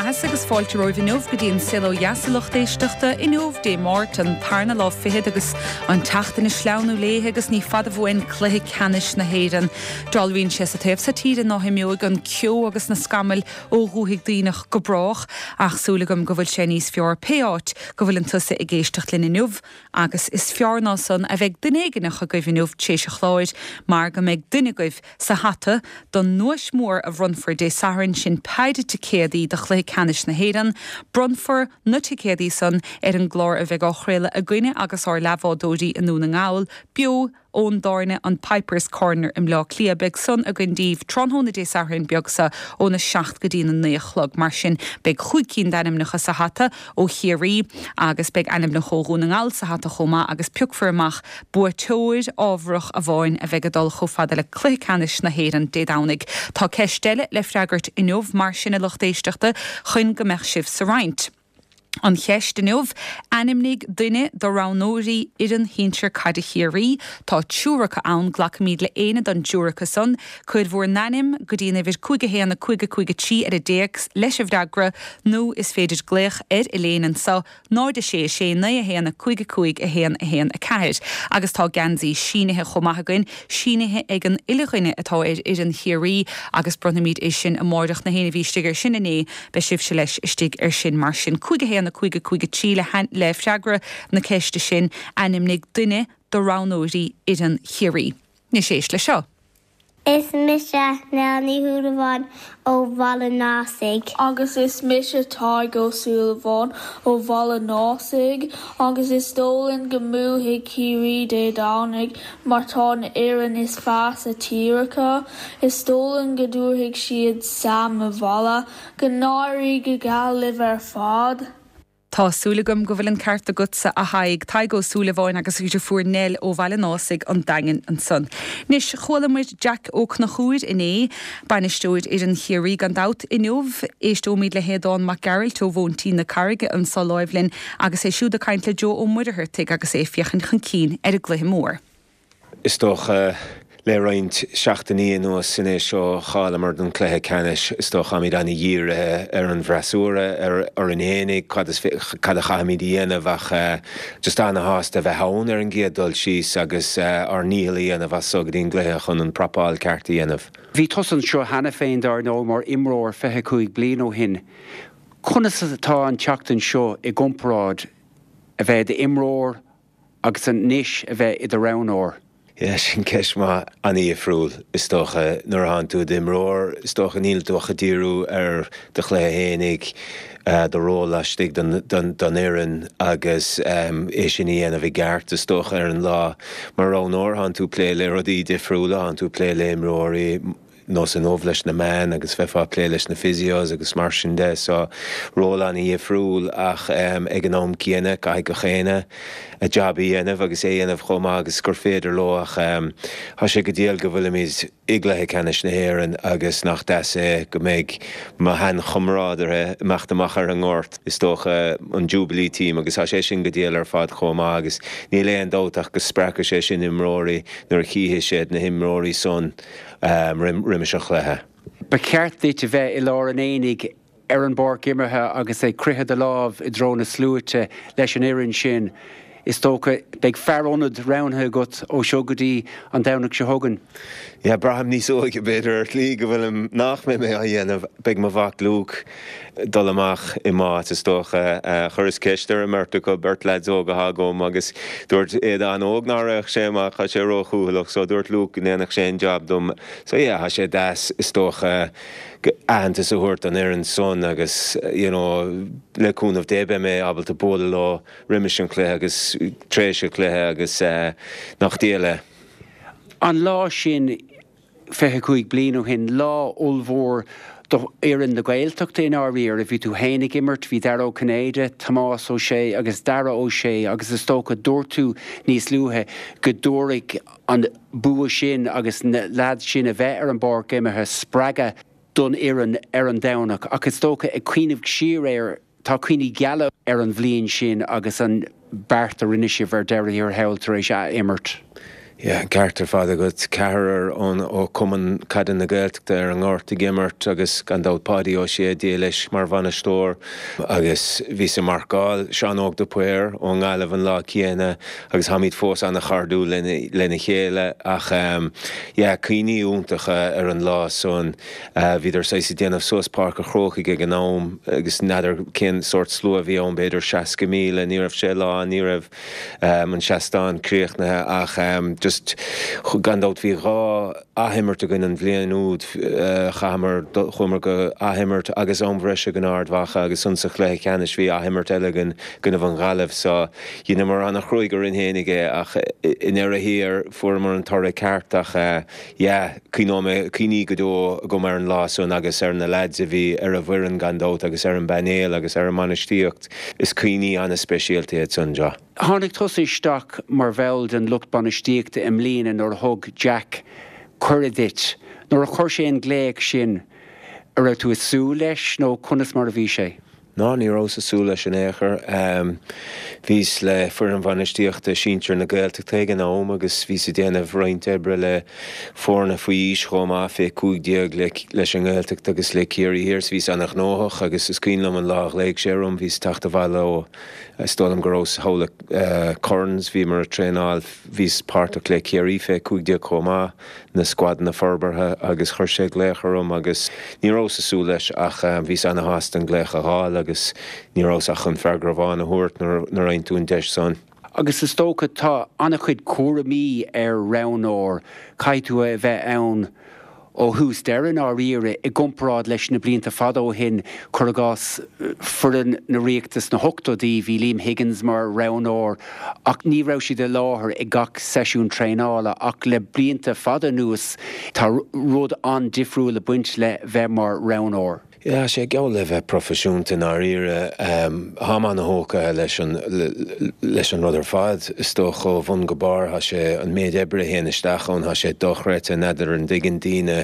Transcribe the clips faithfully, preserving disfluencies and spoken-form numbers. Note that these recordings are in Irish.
maitheas agus fáilte romhaibh inniu go dtí an Saol Ó Dheas a lucht éisteachta inniu Dé Máirt an tarna lá fichead agus an tseachtain ag sleamhnú léi agus ní fada uainn cluiche ceannais na hÉireann. Dealraíonn sé sa taobh seo tíre ná himeoidh an ceo agus na scamaill ó dhúthaigh Duibhneach go brách ach súil agam go bhfuil sé níos fearr pé áit go bhfuil an tusa ag éisteacht linn inniu agus is fearr ná san a bheidh duine éigineach agaibh inniu tréis an chláir mar go mbeidh duine agaibh sa hata don duais mhór a bhronnfar Dé Sathairn sin péire ticéadaí do chluiche ceannais na hÉireann, bronnfar na ticéadaí san ar an gclár a bheidh á chraoladh againne agus ár leathbhádóirí i nDún na nGall, beo ón dtábhairne an Pipers Corner i mBleá Cliath beidh san againn daoibh tráthnóna Dé Sathairn beag seo óna seacht go dtí na naoi a chlog mar sin beidh cúig cinn d'ainmneacha sa hata ó Chiarraí agus beidh ainmneacha ó Dhún na nGall sa hata chomh maith agus piocfar amach buaiteoir ábharach amháin a bheidh ag dul chomh fada le cluiche ceannais na hÉireann Dé Domhnaigh. Tá ceist eile le freagairt inniu mar sin a lucht éisteachta chun go mbeadh sibh sa roinnt. An cheist inniu ainmnigh duine de roghnóirí fhoireann shinsir caide Chiarraí, tá triúr acu ann glacaimid le éinne den dtriúr acu san, cuir bhur n-ainm go dtí an uimhir cúig a haon a cúig a cúig a trí ar an dtéacs leis an bhfreagra nó is féidir glaoch ar Elaine anseo náid a sé a sé naoi a haon a cúig a cúig a haon a haon a ceathair. Agus tá geansaí sínithe chomh maith againn, sínithe ag an uile dhuine atá ar fhoireann Chiarraí agus bronnfaimid é sin amárach na héinne a bhí istigh ar sin inné, beidh sibhse leis istigh ar sin mar sin cúig a haon a cúig a cúig a trí le le freagra na ceiste sin ainmnigh duine de roghnóirí fhoireann Chiarraí. Anois éist le seo. Is mise Nell Ní Shúilleabháin ó Bhaile an Ásaigh. Agus is mise Tadhg Ó Súilleabháin ó Bhaile an Ásaigh, agus is dóigh linn go mbuafaidh Ciarraí Dé Domhnaigh mar tá an fhoireann is fearr sa tír acu. Is dóigh linn go dtabharfaidh siad Sam abhaile, go n-éirí go geal libh ar fad. Tá súil agam go bhfuil an ceart agatsa a Thaidhg Tadhg Ó Súilleabháin agus deirfiúr Nell ó Bhaile an Ásaigh an Daingean ansan. Anois chuala muid Jack Ó Conchúir inné, bainisteoir fhoireann Chiarraí gan dabht inniu, éisteoimid le hAodán Mac Gearailt ó Mhóintín na Carraige anseo láimh linn agus é siúd ag caint le Joe Ó Muircheartaigh agus é ag féachaint chun cinn ar an gcluiche mór. Is dócha le roinnt seachtainí anuas anois ó chailleamar an cluiche ceannais is dócha táimid an-dhírithe ar an bhfreasúra ar orainn féinig cad cad a chaithfimid a dhéanamh ach just an-shásta bheith ann ar an gcéad dul síos agus ár ndícheall a dhéanamh as so go dtí an gcluiche chun an prapáil ceart a dhéanamh. Bhí tusa anseo cheana féin dar ndóigh mar imreoir fiche cúig bliain ó shin. Conas atá an tseachtain seo i gcomparáid a bheith d'imreoir agus anois a bheith i do roghnóir? Yeah, sin ceist mhaith an-difriúil is dócha nuair atánn tú i d'imreoir is dócha níl tú ach ag díriú ar do chluiche féinig do ról laistigh den den den fhoireann agus é sin a dhéanamh i gceart is dócha ar an lá mar roghnóir tánn tú ag plé le rudaí difriúla tánn tú ag plé le imreoirí nós inniu leis na meáin agus bheifeá ag plé leis na physios agus mar sin de so ról an-difriúil ach ag an am céanna caithfidh gach éinne a jab a dhéanamh agus é dhéanamh chomh maith agus gur féidir leo ach tá sé go diail go bhfuilimid i gcluiche ceannais na hÉireann agus nach deas é go mbeidh mo sheanchomrádaithe ag imeacht amach ar an ngort is dócha an Jubilee team agus tá sé sin go diail ar fad chomh maith agus níl aon dabht ach go spreagfaidh sé sin imreoirí nuair a chífidh siad na himreoirí san roimis an chluiche. Ba cheart duit a bheith i lár an aonaigh ar an bpáirc imeartha agus ag croitheadh do lámh i dtreo na sluaite leis an fhoireann sin. Is dócha beidh fear ionaid roghnaithe agat ó seo go dtí an Domhnach seo chugainn. Yeah, braithim níos óige b'fhéidir ar shlí go bhfuilim nach mbeidh mé á dhéanamh beidh mo mhac Luke dul amach i m'áit is dócha chuireas ceist ar an mbeirt acu beirt lads óga atá agam agus dúirt Aodán óg nach raghadh sé amach tá sé róchúthaileach so dúirt Luke go ndéanfadh sé an job dom so yeah tá sé deas is dócha aitheantas a thabhairt don fhoireann san agus you know le cúnamh Dé beidh mé ábalta bualadh leo roimis an chluiche agus tréis an chluiche agus nach diail é. An lá sin fiche cúig bliain ó shin, lá ollmhór do fhoireann na Gaeltachta i ndáiríre, bhí tú féin ag imirt, bhí Dara Ó Cinnéide, Tomás Ó Sé agus Dara Ó Sé agus is dócha dúirt tú níos luaithe go dtabharfaidh an bua sin agus na lads sin a bheith ar an bpáirc imeartha spreagadh don fhoireann ar an Domhnach ach is dócha ag cuimhneamh siar air tá cuimhní geala ar an bhliain sin agus an beart a rinne sibh ar deireadh thiar thall tar éis a imirt. Yeah, ceart ar fad agat ceathrar ón ó Cumann Caide na Gaeltachta ar an ngort ag imirt agus gan dabht Páidí Ó Sé Dia leis mar bhainisteoir agus bhíos ag marcáil Seán Óg de Paor ón nGaillimh an lá céanna agus táimid fós an-chairdiúil lena lena chéile ach um, yeah, cuimhní iontacha ar an lá san uh, bhíodar saghas ag déanamh suas Páirc an Chrócaigh ag an am agus n'fheadar cén sórt slua bhí ann b'fhéidir seasca míle ní raibh sé lá ní raibh um, an seastán críochnaithe ach um, just gan dabht bhí dhá athimirt againn an bhliain úd uh, chaitheamar chuamar go athimirt agus am bhreise in Ard Mhacha agus ansan sa chluiche ceannais bhí athimirt eile againn i gcoinnibh an Ghaillimh so dheineamar an-chruaidh orainn fhéinig é ach i ndeireadh thiar fuaireamar an toradh ceart ach uh, yeah, cuimhneoidh mé cuimhní go deo agam ar an lá san agus ar na lads a bhí ar an bhfoireann gan dabht agus ar an bpainéal agus ar an mbainistíocht is cuimhní an-speisialta iad san Joe. Tháinig tusa isteach mar bhall den lucht bainistíochta i mbliana nuair a thug Jack cuireadh duit, nuair a chuir sé an glaoch sin an raibh tú ag súil leis nó conas mar a bhí sé. Ná ní rabhas ag súil leis in aon chor. Um, Bhíos le foireann bhainistíochta sinsir na Gaeltachta ag an am agus bhíos ag déanamh roinnt oibre le foirne faoi aois chomh maith fé cúig déag leis an nGaeltacht agus le Ciarraí Thiar bhíos an-ghnóthach agus is cuimhin liom an lá a ghlaoigh sé orm bhíos ag teacht abhaile ó is dóigh liom go rabhas thall uh, Currans bhíomar ag traenáil bhíos páirteach le Ciarraí fé cúig déag chomh maith na squadanna forbartha agus chuir sé glaoch orm agus ní rabhas ag súil leis ach um, bhíos an-shásta an glaoch a fháil agus ní rabhas ach chun freagra amháin a thabhairt nuair a fhaigheann tú an deis san. Agus is dócha tá an-chuid cúraimí ar roghnóir caithfidh tú a bheith ann ó thús deireadh dáiríre i gcomparáid leis na blianta fada ó shin cuir i gcás foireann na Ríochta sna hochtóidí bhí Liam Higgins mar roghnóir ach ní raibh siad i láthair ag gach seisiún traenála ach le blianta fada anuas tá rud an-difriúil ag baint le bheith mar roghnóir. Yeah, sé geall le bheith proifisiúnta dáiríre táim an-tógtha leis an leis an rud ar fad is dócha ó bhun go barr tá sé an méid oibre a théann isteach ann tá sé dochreidte n'fheadar an dtuigeann daoine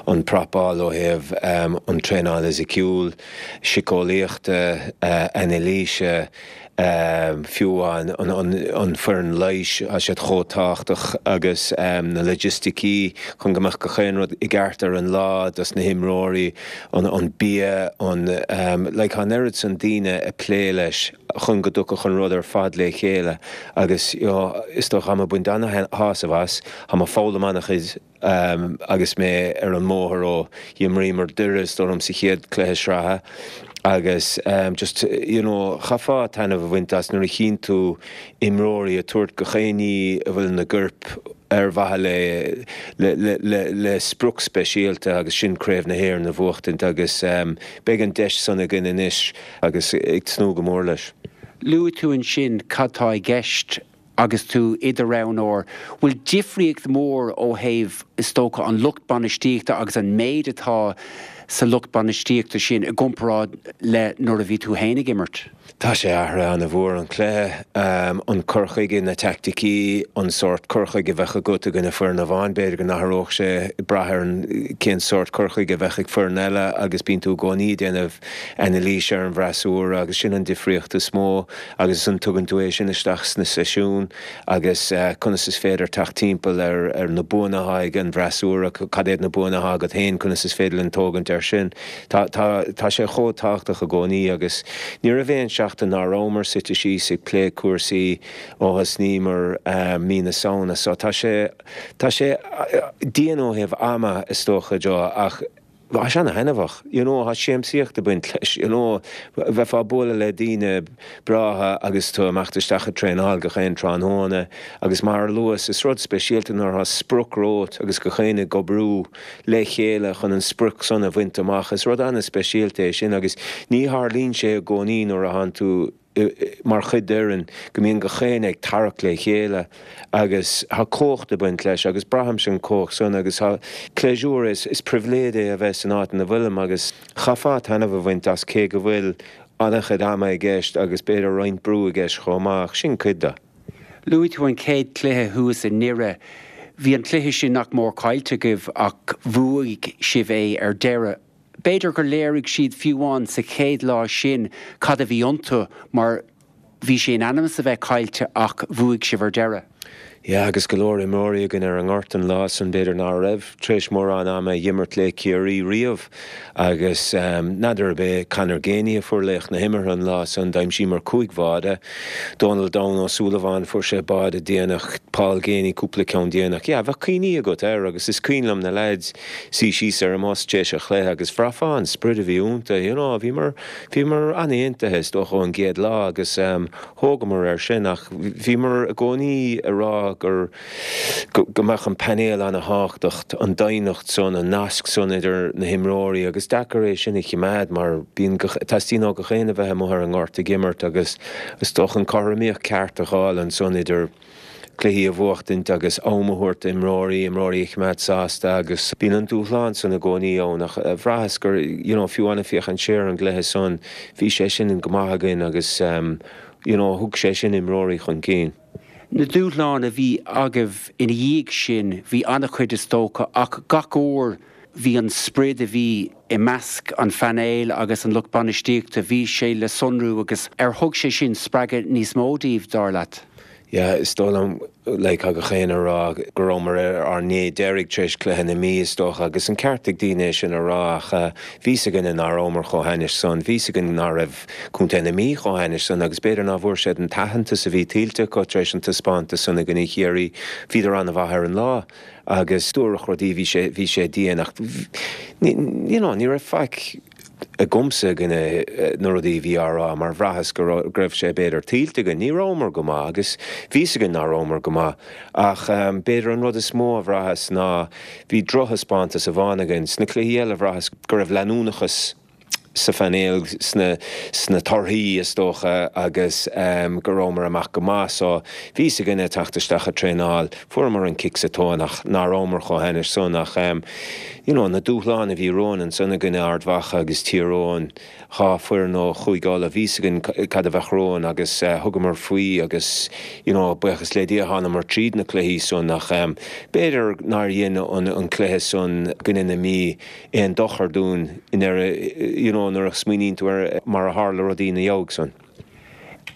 an prapáil ó thaobh um, an traenáil fhisiciúil, síceolaíochta, uh, anailíse, um, fiú an, an, an, an foireann leighis tá siad chomh tábhachtach agus um, na logisticí chun go mbeadh gach aon rud i gceart ar an lá dos na himreoirí an, an bia an um, like an oiread san daoine ag plé leis chun go dtiocfadh an rud ar fad le chéile agus you know, is dócha táim ag baint an-shásamh as táim ag foghlaim an-chuid um, agus mé ar an mbóthar ó d'imríomar Doire is dóigh liom sa chéad cluiche sraithe agus um, just you know, chaithfeá taitneamh a bhaint as nuair a chíonn tú imreoirí ag tabhairt gach aon ní a bhfuil ina gcorp ar mhaithe le le, le, le, le sprioc speisialta agus sin Craobh na hÉireann a bhuachtaint agus um, beidh an deis san againn anois agus ag tnúth go mór leis. Luaigh tú ansin cad tá i gceist agus tú i do roghnóir, bhfuil difríocht mór ó thaobh is dócha an lucht bainistíochta agus an méid atá sa lucht bainistíochta sin i gcomparáid le nuair a bhí tú féin ag imirt. Tá sé athraithe an-mhór an cluiche, um, an cur chuige na teaicticí an sórt cur chuige a bheadh agat i gcoinne foireann amháin b'fhéidir go n-athródh sé brath ar an cén sórt cur chuige a bheadh ag foireann eile agus bíonn tú i gcónaí ag déanamh anailís ar an bhfreasúra agus sin an difríocht is mó agus an tugann tú é sin isteach sna seisiúin agus uh, conas is féidir teacht timpeall ar, ar na buanna atá ag an bhfreasúra cad iad na buanna atá agat féin conas is féidir linn tógaint ar sin. Tá, tá, tá sé chomh tábhachtach i gcónaí agus ní raibh aon seachtain nach rabhamar suite síos ag plé cúrsaí ó thosnaíomar um, mí na Samhna, so tá sé tá sé dian ó thaobh ama is dócha Joe ach Tá sé an-thaitneamhach, you know, tá siamsaíocht ag baint leis, you know, bheifeá ag bualadh le daoine breátha agus tú amach isteach ag traenáil gach aon tráthnóna agus mar a luas is rud speisialta nuair atá sprioc romhat agus gach éinne ag obair le chéile chun an sprioc san a bhaint amach is rud an-speisialta é sin agus ní tharlaíonn sé i gcónaí nuair atá tú mar chuid d'fhoireann go mbíonn gach éinne ag tarrac le chéile agus tá cumhacht ag baint leis agus braithim sin cumhacht san agus tá pléisiúr is, is pribhléid é a bheith san áit ina bhfuilim agus chaithfeá taitneamh a bhaint as cé go bhfuil an-chuid ama i gceist agus b'fhéidir roinnt brú i gceist chomh maith sin cuid de. Luaigh tú an chéad cluiche thuas i nDoire. Bhí an cluiche sin nach mór caillte agaibh ach bhuaigh sibh é ar deireadh. B'fhéidir gur léirigh siad fiú amháin sa chéad lá sin cad a bhí iontu mar bhí sé in ainm is a bheith caillte ach bhuaigh sibh ar deireadh. Yeah, agus go leor imreoirí againn ar an ngort an lá san b'fhéidir ná raibh tar éis mórán ama a dh'imirt le Ciarraí riamh agus n'fheadar ab é Conor Geaney a fuair laoch na himeartha an lá san, d'aimsíomar cúig bháide, Dónal Donn Ó Súilleabháin fuair sé báide déanach, Paul Geaney cúpla ceann déanach. Yeah, bheadh cuimhní agat air agus is cuimhin liom na leaids suí síos ar an mbus tar éis an chluiche agus bhraithfeá an sprid a bhí iontu, you know, bhíomar, bhíomar an-aontaithe is dócha ón gcéad lá agus thógamar air sin ach bhíomar i gcónaí ag rá gur go mbeadh an painéal ana-thábhachtach, an doimhneacht san, an nasc san idir na himreoirí agus deacair é sin a choimeád mar bíonn, teastaíonn ó gach éinne a bheith amuigh ar an ngort ag imirt agus is dócha an cothromaíocht ceart a dh'fháil ansan idir cluichí a bhuachtaint agus am a thabhairt d'imreoirí, imreoirí a choimeád sásta agus bíonn an dúshlán san i gcónaí ann ach bhraitheas gur, you know, fiú amháin ag féachaint siar ar an gcluiche san, bhí sé sin go maith againn agus you know, thug sé sin imreoirí chun cinn. Na dúshláin a bhí agaibh ina dhiaidh sin, bhí an-chuid is dócha ach gach uair bhí an sprid a bhí i measc an phainéil agus an lucht bainistíochta, bhí sé le sonrú agus ar thug sé sin spreagadh níos mó daoibh, dar leat? Yeah, is dóigh liom, like, tá gach éinne ag rá go rabhamar ar ár ndé deiridh tar éis cluiche na Mí, is dócha, agus an ceart ag daoine é sin a rá ach bhí 's againne ná rabhamar chomh hainnis san, bhí 's againn ná raibh Contae na Mí chomh hainnis san agus b'fhéidir ná bhfuair siad an t-aitheantas a bhí tuillte acu tar éis an taispeántas san i gcoinne Chiarraí, bhíodar an-mhaith ar an lá agus dúradh rudaí, bhí sé, bhí sé dian ach ní, you know, ní raibh faic agamsa i gcoinne na rudaí a bhí á rá mar bhraitheas go raibh sé b'fhéidir tuillte againn. Ní rabhamar go maith agus bhí 's againn ná rabhamar go maith ach b'fhéidir an rud is mó a bhraitheas ná bhí drochthaispeántas amháin againn. Sna cluichí eile bhraitheas go raibh leanúnachas sa phainéal, sna sna torthaí is dócha agus go rabhamar amach go maith so bhí 's againne teacht isteach ag traenáil, fuaireamar an cic sa tóin ach ná rabhamar chomh hainnis san ach you know na dúshláin a bhí romhainn ansan i gcoinne Ard Mhacha agus Tír Eoghain, dhá foireann ó Chúige Uladh, bhí 's againn cad a bheadh romhainn agus thugamar faoi agus you know buíochas le Dia thánamar tríd na cluichí san ach b'fhéidir nár dhein an an cluiche san i gcoinne na Mí aon dochar dúinn i ndeireadh you know nuair a smaoiníonn tú ar mar a tharla rudaí ina dhiaidh san.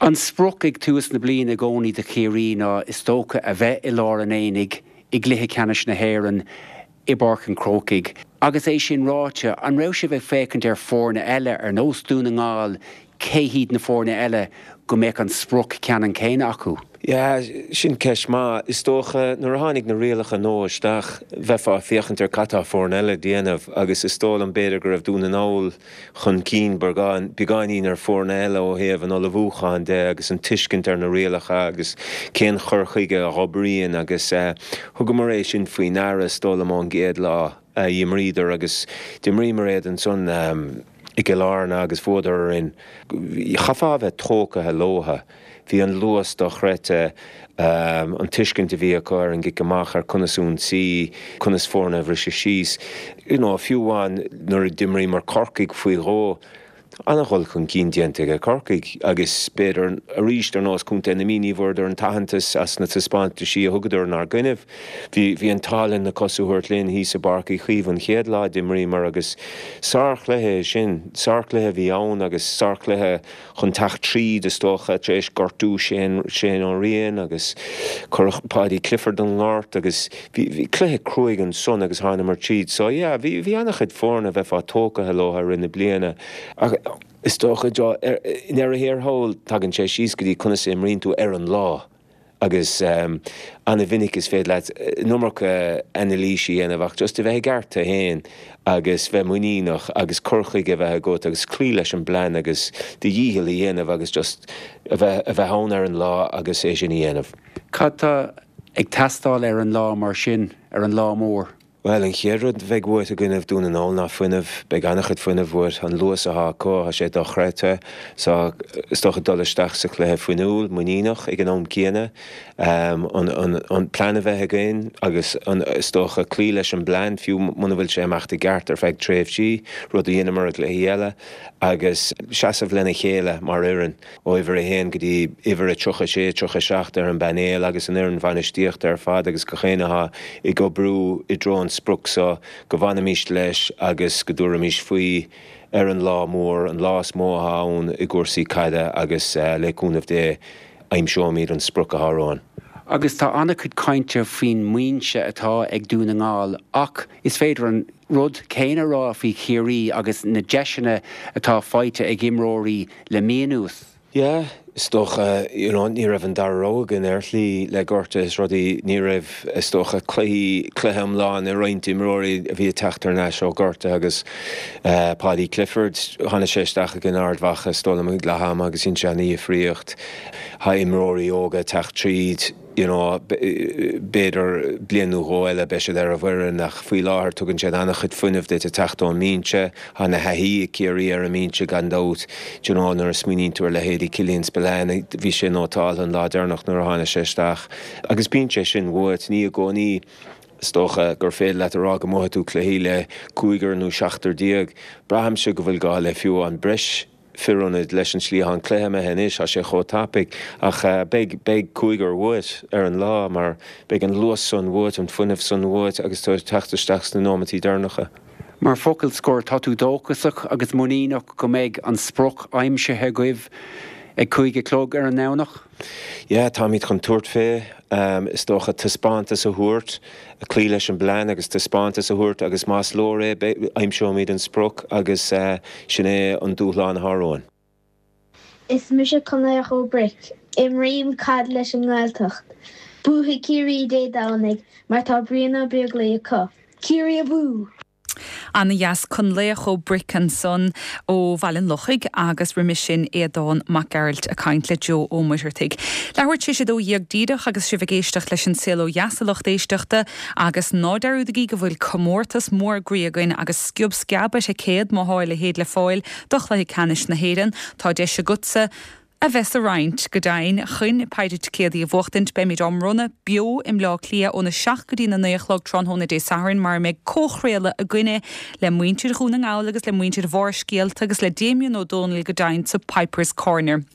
An sprioc ag tús na bliana i gcónaí do Chiarraí ná is dócha a bheith i lár an aonaigh i gcluiche ceannais na hÉireann i bPáirc an Chrócaigh. Agus é sin ráite, an raibh sibh ag féachaint ar foirne eile ar nós Dún na nGall, cé hiad na foirne eile go mbeadh an sprioc ceannann céanna acu? Yeah, sin ceist maith. Is dócha nuair a tháinig na rialacha nua isteach, bheifeá ag féachaint ar cad tá foirne eile ag déanamh agus is dóigh liom b'fhéidir go raibh Dún na nGall chun cinn beagáinín ar foirne eile ó thaobh an ullmhúcháin de agus an tuiscint ar na rialacha agus cén chur chuige a dh'oibríonn agus thugamar é sin faoi ndeara is dóigh liom ón gcéad lá a d'imríodar agus d'imríomar iad ansan i gCill Airne agus bhuadar orainn. Chaithfeá a bheith tógtha leotha. Bhí an luas dochreidte, an tuiscint a bhí acu ar an gcic amach, ar conas ionsaí, conas foirne a bhriseadh síos. You know, fiú amháin nuair a d'imríomar Corcaigh faoi dhó, an-dhul chun cinn déanta ag Corcaigh agus b'fhéidir arís ar nós Contae na Mí ní bhfuaireadar an t-aitheantas as na taispeántaisí a thugadar inár gcoinnibh. Bhí bhí an t-ádh linn na cosa a thabhairt linn thíos i bPáirc Uí Chaoimh an chéad lá a d'imríomar agus sárchluiche é sin, sárchluiche a bhí ann agus sárchluiche chun teacht tríd is dócha tar éis gortú Shane Shane Ó Riain agus cuireadh Paudie Clifford den ngort agus bhí bhí cluiche cruaidh ansan agus thánamar tríd so yeah bhí bhí an-chuid foirne a bheifeá tógtha leo i rith na bliana ach is dócha i ndeireadh thiar thall tagann sé síos go dtí conas a imríonn tú ar an lá agus an-mhinic is féidir leat an iomarca anailíse a dhéanamh ach just a bheith i gceart tú féin agus bheith muiníneach agus cur chuige a bheith agat agus cloí leis an bplean agus do dhícheall a dhéanamh agus just a bheith a bheith ann ar an lá agus é sin a dhéanamh. Cad tá ag teastáil ar an lá mar sin, ar an lá mór? Bhuel, an chéad rud a bheidh uait i gcoinnibh Dún na nGall ná fuinneamh. Beidh an-chuid fuinnimh uait. An luas atá acu, tá sé dochreidte. So, is dócha dul isteach sa chluiche fuinniúil, muiníneach ag an am céanna. An, an, an plean a bheith againn agus an, is dócha cloí leis an bplean, fiú muna bhfuil sé ag imeacht i gceart ar feadh tréimhsí, rud a dheineamar i gcluichí eile, agus seasamh lena chéile mar fhoireann. ó uimhir a haon go dtí uimhir a tríocha sé, tríocha a seacht ar an bpainéal agus an fhoireann bhainistíochta ar fad agus gach éinne atá ag oibriú i dtreo an sprioc seo go bhfanfaimis leis agus go dtabharfaimis faoi ar an lá mór, an lá is mó atá ann i gcúrsaí caide agus le cúnamh Dé aimseoimid an sprioc atá romhainn. Agus tá an-chuid cainte faoin mbinse atá ag Dún na nGall ach is féidir an rud céanna a rá faoi Chiarraí agus na deiseanna atá faighte ag imreoirí le mí anuas. Yeah, is dócha you know, ní raibh an dara rogha againn ar shlí le gortuithe is rudaí ní raibh is dócha cluichí cluiche iomlán ag roinnt imreoirí a bhí ag teacht thar n-ais ó ghortuithe agus uh, Paddy Clifford tháinig sé isteach ag an Ard Mhacha is dóigh liom ag leath ama agus dhein sé an-difríocht tá imreoirí óga ag teacht tríd you know, b'fhéidir bliain nó dhó eile beidh siad ar an bhfoireann ach faoi láthair tugann siad an-chuid fuinnimh duit ag teacht ón mbinse, tá an-thaithí ag Ciarraí ar an mbinse gan dabht, you know, nuair a smaoiníonn tú ar leithéidí Killian Spillane, bhí sé nótálta an lá deireanach nuair a tháinig sé isteach. Agus bíonn sé sin uait, ní i gcónaí is dócha gur féidir leat a rá go mbuafaidh tú cluichí le cúigear nó seachtar déag. Braithimse go bhfuil gá le fiú amháin breis fir ionaid leis an slí atá an cluiche imithe anois, tá sé chomh tapaidh ach beidh beidh cúigear uait ar an lá mar beidh an luas san uait, an fuinneamh san uait agus tú ag teacht isteach sna nóimeataí deireanacha. Mar focal scoir, tá tú dóchasach agus muiníneach go mbeidh an sprioc aimsithe agaibh ag cúig a chlog ar an nDomhnach? Yeah, táimid chun tabhairt fé, is dócha taispeántas a thabhairt, cloí leis an bplean agus taispeántas a thabhairt agus más leor é, aimseoimid an sprioc agus sin é an dúshlán atá romhainn. Is mise Conlaoch Ó Bric. Imrím caid leis an nGaeltacht. Buafaidh Ciarraí Dé Domhnaigh mar tá Brian Ó Beaglaoich acu. Ciarraí abú! Ana-dheas Conlaoch Ó Bric ansan ó Bhaile an Lochaigh agus roimis sin Aodán Mac Gearailt ag caint le Joe Ó Muircheartaigh. Leathuair tar éis a dó dhéag díreach agus sibh ag éisteacht leis an Saol Ó Dheas a lucht éisteachta agus ná dearúdaigí go bhfuil comórtas mór groí againn agus sciob sceab ar thicéad má thá a leithéid le fáil do chluiche ceannais na hÉireann. Tá deis agatsa a bheith sa roinnt, go deimhin, chun péire ticéadaí a bhuachtaint. Beimid á mbronnadh beo i mBleá Cliath óna seacht go dtí na naoi a chlog tráthnóna Dé Sathairn mar a mbeidh comhchraoladh againne le muintir Dhún na nGall agus le muintir Bharrscéalta agus le Damien Ó Dónaill go deimhin sa Pipers Corner.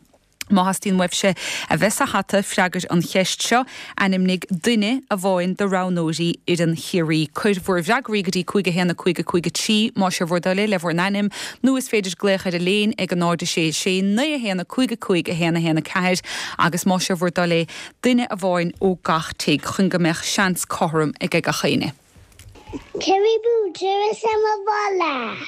Má theastaíonn uaibhse a bheith sa hata, freagair an cheist seo, ainmnigh duine amháin de roghnóirí fhoireann Chiarraí. Cuir bhur bhfreagraí go dtí cúig a haon a cúig a cúig a trí más é bhur dtoil é le bhur n-ainm nó is féidir glaoch ar an léin ag a náid a sé sé naoi a haon a cúig a cúig a haon a haon a ceathair agus más é bhur dtoil é duine amháin ó gach tigh chun go mbeadh seans cothrom ag gach éinne. Ciarraí abú, tabhair Sam abhaile!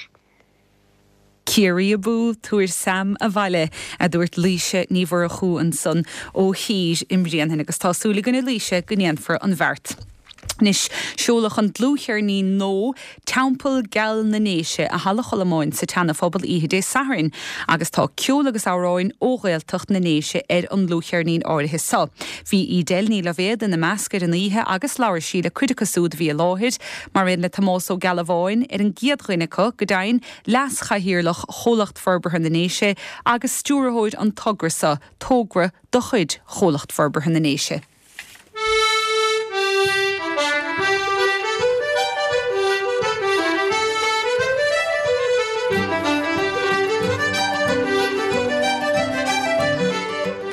Ciarraí abú, tabhair Sam abhaile, a dúirt Laoise Ní Mhurchú ansan ó Thír i mBréanainn agus tá súil againn a Laoise go ndéanfar an bheart. Anois, seoladh an dlúthcheirnín nua Teampall Geal na nDéise i Halla Cholmáin sa tSeana-Phobal oíche Dé Sathairn agus tá ceol agus amhráin ó Ghaeltacht na nDéise ar an ndlúthcheirnín áirithe seo. Bhí Edel Ní Loibhéad ina measc ar an oíche agus labhair sí le cuid acu siúd a bhí i láthair, mar aon le Tomás Ó Gealbháin, ar an gcéad dhuine acu, go deimhin, Leas-Chathaoirleach Chomhlacht Forbartha na nDéise agus stiúrthóir an togra seo, togra de chuid Chomhlacht Forbartha na nDéise.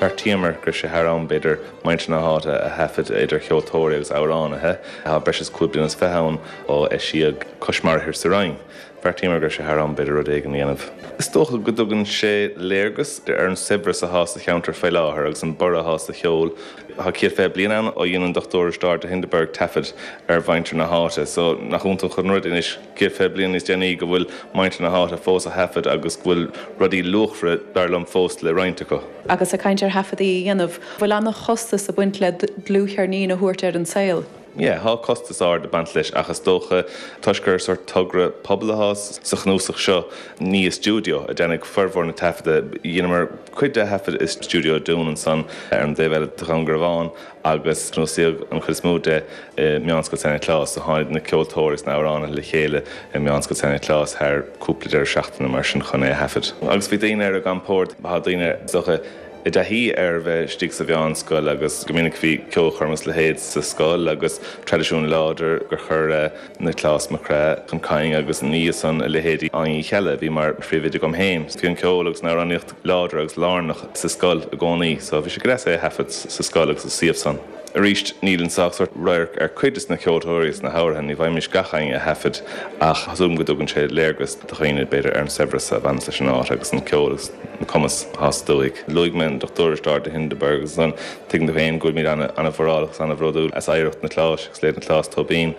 Bheartaíomar go raibh sé thar am, b'fhéidir, muintir na háite a thaifead idir cheoltóirí agus amhránaithe. Tá breis is cúig bliana is fiche ann ó eisíodh Cois Mara Thoir sa Rinn. Bheartaíomar go raibh sé thar am, b'fhéidir, rud éigin a dhéanamh. Is dócha go dtugann sé léargas ar an saibhreas atá sa cheantar faoi láthair agus an borradh atá sa cheol. Tá céad fiche bliain ann ó dhein an Dochtúir Risteárd de Hindeberg taifead ar mhuintir na háite so nach iontach an rud anois céad fiche bliain níos déanaí go bhfuil muintir na háite fós á thaifead agus go bhfuil rudaí luachmhara dar liom fós le roinnt acu. Agus ag caint ar thaifeadaí a dhéanamh, bhfuil an-chostas ag baint le dlúthcheirnín a thabhairt ar an saol? Yeah, tá costas ard ag baint leis ach is dócha, toisc gur sórt togra pobail atá sa chnuasach seo, ní i stiúideo a deineadh formhór na taifeadta. Dheineamar cuid de thaifead i stiúideo Dún ansan ar an dtaobh eile de Dhún Garbhán agus cnuasaíodh an chuid is mó de i Meánscoil San Nioclás. So tháinig na ceoltóirí is na hamhránaithe le chéile i Meánscoil San Nioclás thar cúpla deireadh seachtaine mar sin chun é a thaifead. Agus bhí daoine ar a gcompord, tá daoine is dócha, i dtaithí ar bheith istigh sa mheánscoil agus go minic bhí ceolchoirm agus a leithéid sa scoil agus traidisiún láidir gur chuir Nioclás Mac Craith chun cinn agus ina dhiaidh san a leithéidí Áine Uí Cheallaigh a bhí mar phríomhoide agam féin. Bhí an ceol agus an amhránaíocht láidir agus lárnach sa scoil i gcónaí so bhí sé go deas é a thaifead sa scoil agus sa suíomh san. Arís, níl anso ach sórt radharc ar cuid des na ceoltóirí is na hamhráin, ní bhfaighimís gach éinne a thaifead ach tá súil agam go dtugann sé léargas do dhaoine b'fhéidir ar an saibhreas a bhaineas leis an áit agus an ceol agus an cumas atá sa dúthaigh. Luaigh mé an Dochtúir Risteárd de Hindeberg agus ansan tuigeann tú féin go bhfuilimid ana-mhórálach agus ana-bhródúil as oidhreacht na Cláis agus leithéid an Chlás Tóibín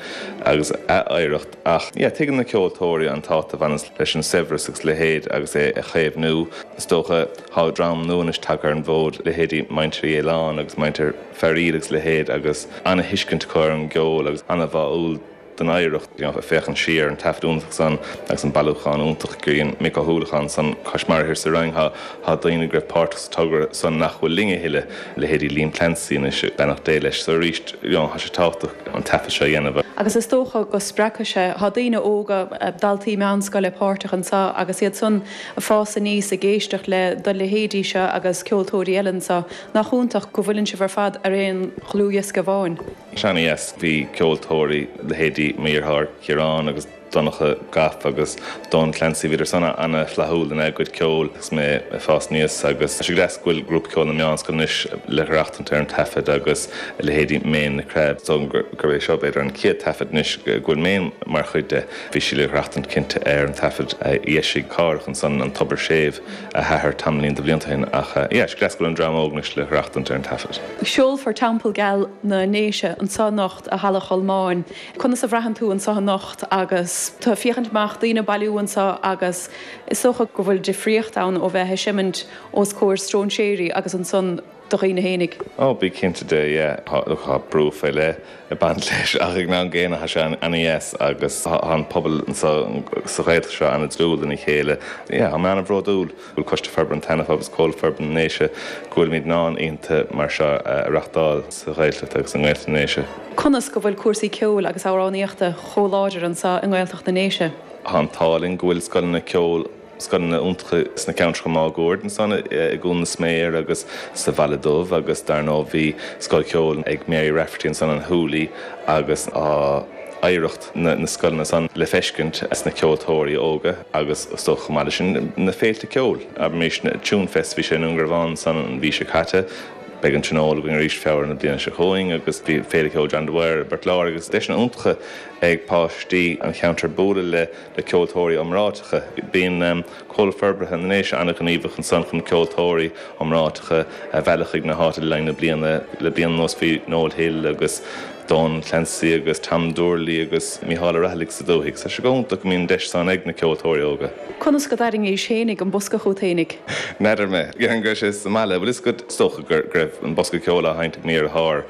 agus a oidhreacht ach yeah tuigeann na ceoltóirí an tábhacht a bhaineas leis an saibhreas agus leithéid agus é a chaomhnú. Is dócha tá dream nua anois tagtha ar an bhfód, leithéidí Muintir Uí Fhaoláin agus Muintir Fearaíl agus leithéid agus ana-thuiscint acu ar an gceol agus ana-bháúil don oidhreacht. You know, féachaint siar ar an taifead iontach san agus an bailiúchán iontach gur dhein Mick Ó hUallacháin san cois mara thiar sa Rinn, tá tá daoine go raibh páirteach sa togra san nach bhfuil linn a thuilleadh, leithéidí Liam Clancy anois, beannacht Dé leis. So arís, you know, tá sé tábhachtach an taifead seo a dhéanamh. Agus is dócha go spreagfaidh sé, tá daoine óga, daltaí meánscoile páirteach anseo agus iad san ag fás aníos ag éisteacht le do leithéidí seo agus ceoltóirí eile anseo, nach iontach go bhfuileann sibh ar fad ar aon dhlúthdhiosca amháin? Sea, ana-dheas. Bhí ceoltóirí, leithéidí mo dheartháir Ciarán agus Donncha Gaff agus Don Clancy, bhíodar san ana-fhlaithiúil ina gcuid ceoil agus mé ag fás aníos agus tá sé go deas go bhfuil grúpa ceoil na meánscoile anois le haireachtaint ar an taifead agus leithéidí Méin Nic Craith. Is dóigh liom gurb é seo b'fhéidir an chéad taifead anois go bhfuil Méin mar chuid de. Bhí sí le haireachtaint cinnte ar an taifead a d'eisigh Cárthach ansan, An Tobar Séimh, a hathair tamaillín de bhlianta ó shin ach yeah, is deas go bhfuil an dream óg anois le haireachtaint ar an taifead. Seolfar Teampall Geal na nDéise anseo anocht i Halla Cholmáin. Conas a bhraitheann tú anseo anocht agus tú ag féachaint amach, daoine ag bailiú anseo agus is dócha go bhfuil difríocht ann ó bheith ag seimint os comhair stróinséirí agus ansan do dhaoine fhéinig. Ó, bí cinnte de, yeah. Tá, look, tá brú faoi leith ag baint leis ach ag an am gcéanna tá sé ana-dheas agus tá an pobal anseo sa Ghaeltacht seo ana-dlúth lena chéile. Yeah, tá mé ana-bhródúil go bhfuil Coiste Forbartha an tSeana Phub agus Comhlucht Forbartha na nDéise go bhfuilimid in ann oícheanta mar seo a reachtáil sa Ghaeltacht agus i nGaeltacht na nDéise. Conas go bhfuil cúrsaí ceoil agus amhránaíochta chomh láidir anseo i nGaeltacht na nDéise? Tá an t-ádh linn go bhfuil scoileanna ceoil, scoileanna iontacha sna ceantracha máguaird ansan i gCuan na Sméar agus sa Bhaile Dubh agus dar ndóigh bhí scoil cheoil ag Mary Rafferty ansan an Hooly agus tá oidhreacht na scoileanna san le feiscint sna ceoltóirí óga agus is dócha chomh maith leis sin na féilte ceoil, abraimis Tunefest, bhí sé i nDún Garbhán ansan an mhí seo caite. Beidh an Tionól againn arís Feabhra na bliana seo chugainn agus bhí Féile Ceoil John Dwyer i bPort Láirge agus deiseanna iontacha ag páistí an cheantair bualadh le le ceoltóirí iomráiteacha. Bíonn Comhlucht Forbartha na nDéise an-ghníomhach ansan chun ceoltóirí iomráiteacha a mhealladh chuig na háite le linn na bliana. Le bliain anuas bhí Noel Hill agus Donal Clancy agus Tom Doorley agus Mícheál Ó Raghallaigh sa dúthaigh. Tá sé go hiontach go mbíonn an deis san ag na ceoltóirí óga. Conas go dtarraingís fhéinig an bosca chugat fhéinig? N'fheadar mé. Déarfainn go raibh sé sa mbaile. Bhfuil fhios agat, is dócha go raibh an bosca ceoil á sheinnt ag mo dheartháir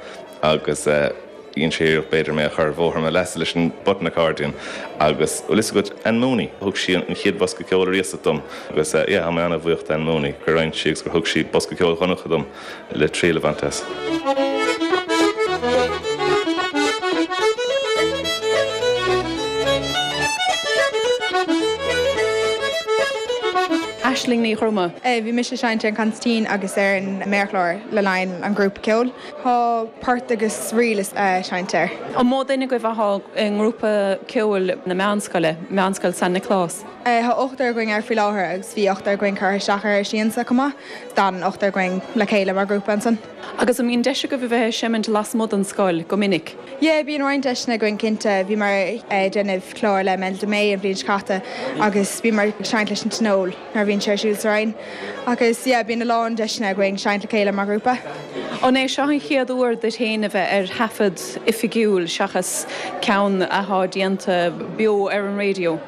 agus dhein sé iarracht b'fhéidir mé a chur ar bhóthar mo leasa leis an button accordion agus bhfuil fhios agat, Ann Mooney, thug sí an chéad bhosca ceoil ariamh dom agus yeah, tá mé an-bhuíoch d'Ann Mooney gur roinn sí agus gur thug sí bosca ceoil Dhonncha dom le triail a bhaint as. Aisling Ní Dhroma. Bhí mise ag seinnt ar an consairtín agus ar an méarchlár le linn an ghrúpa ceoil. Tá port agus ríl le seinnt air. An mó duine agaibh athá i ngrúpa ceoil na meánscoile, Meánscoil San Nioclás? Tá ochtar againn air faoi láthair agus bhí ochtar againn curtha isteach ar siansa chomh maith. D'fhan ochtar againn le chéile mar ghrúpa ansan. Agus an mbíonn deis agaibh a bheith ag seimint lasmuigh den scoil go minic? Yeah, bíonn roinnt deiseanna againn cinnte. Bhíomar ag déanamh clár le Melda May an bhliain seo caite agus bhíomar ag seinnt leis an Tionól nuair a bhíonn sé ar siúl sa Rinn. Agus yeah, bíonn a lán deiseanna againn seinnt le chéile mar ghrúpa. An é seo an chéad uair duit féin a bheith ar thaifead oifigiúil seachas ceann athá déanta beo ar an raidió?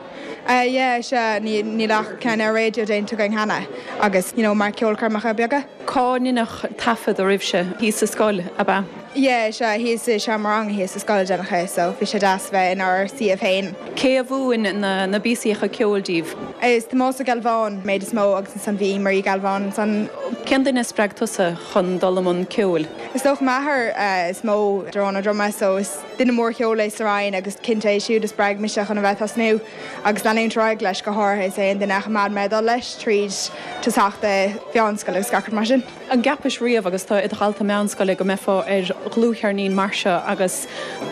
Yeah, sea, níl ach ceann ar raidió déanta againn cheana agus, you know, mar ceolchoirmeacha beaga. Cá ndeineadh taifead oraibhse? Thíos sa scoil, ab ea? Yeah, sea, thíos i seomra ranga thíos sa scoil a deineadh é, so bhí sé deas bheith inár suíomh féin. Cé a mhúin na na píosaíocha ceoil díbh? Is Tomás Ó Gealbháin méid is mó agus ansan bhí Marie Galván ansan. Cén duine a spreag tusa chun dul i mbun ceoil? Is dócha m'athair is mó, Darán Ó Droma, so is duine mór ceoil é sa Rinn agus cinnte é siúd a spreag mise chun a bheith tosnú agus leanúint ar aghaidh leis, go háirithe is é an duine a choimeád mé ag dul leis tríd tosach de mheánscoil agus gach rud mar sin. An gceapais riamh agus tú i do dhalta meánscoile go mbeifeá ar dhlúthcheirnín mar seo agus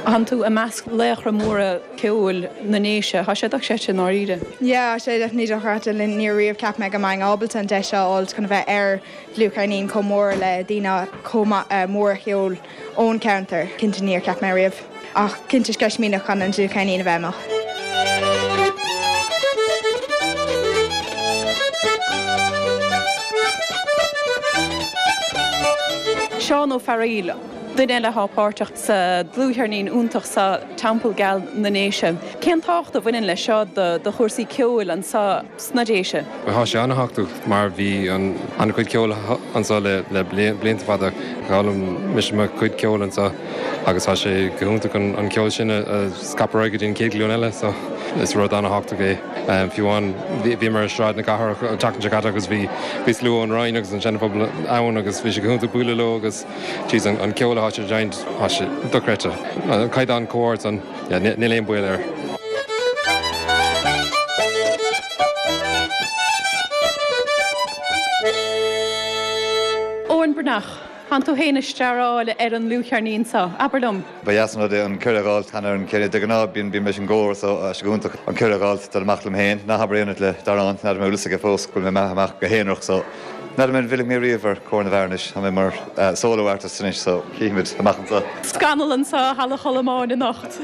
thánn tú i measc laochra móra ceoil na nDéise? Tá sé dochreidte i ndáiríre. Yeah, tá sé definitely dochreidte. Níor riamh cheap mé go mbeinn ábalta an deis seo a fháilt chun a bheith ar dhlúthcheirnín chomh mór le daoine chomh mór a cheol ón ceantar, cinnte níor cheap mé riamh. Ach cinnte sceitimíneach chun an dlúthcheirnín a bheith amach. Seán Ó Fearaíl, duine eile atá páirteach sa dlúthcheirnín iontach seo Teampall Geal na nDéise. Cén tábhacht a bhaineann leis seo do chúrsaí ceoil anseo sna Déise? Tá sé an-tábhachtach mar bhí an-chuid ceoil anseo le blianta fada. D'fhoghlaim mise mo chuid ceoil anseo agus tá sé go hiontach an ceol sin a scaipeadh ar aghaidh go dtí an chéad ghlúin eile so is rud an-tábhachtach é. Fiú amháin bhíomar ar Sráid na Cathrach an tseachtain seo caite agus bhí bhí slua ón Rinn agus an Seana-Phobal ann agus bhí sé go hiontach bualadh leo agus jeez an ceol atá siad ag seinnt tá sé dochreidte. An caighdeán chomh hard san níl aon baol air. Eoin Breathnach, Tánn tú féin ag staráil ar an ndlúthcheirnín seo, abair liom. Ba dheas an rud é an cuireadh a fháilt cheana ar an chéile. De ghnáth bíonn bím leis an gcór so tá sé go hiontach an cuireadh a fháilt dul amach liom féin. Ná habair aon rud le Darán, n'fheadar an bhfuil fhios aige fós go bhfuil mé imithe amach go haonarach so n'fheadar an bhfillfidh mé riamh ar Cór na bhFear anois. Tá mé mar solo artist anois so chífimid amach anseo. Scannal anseo i Halla Cholmáin anocht.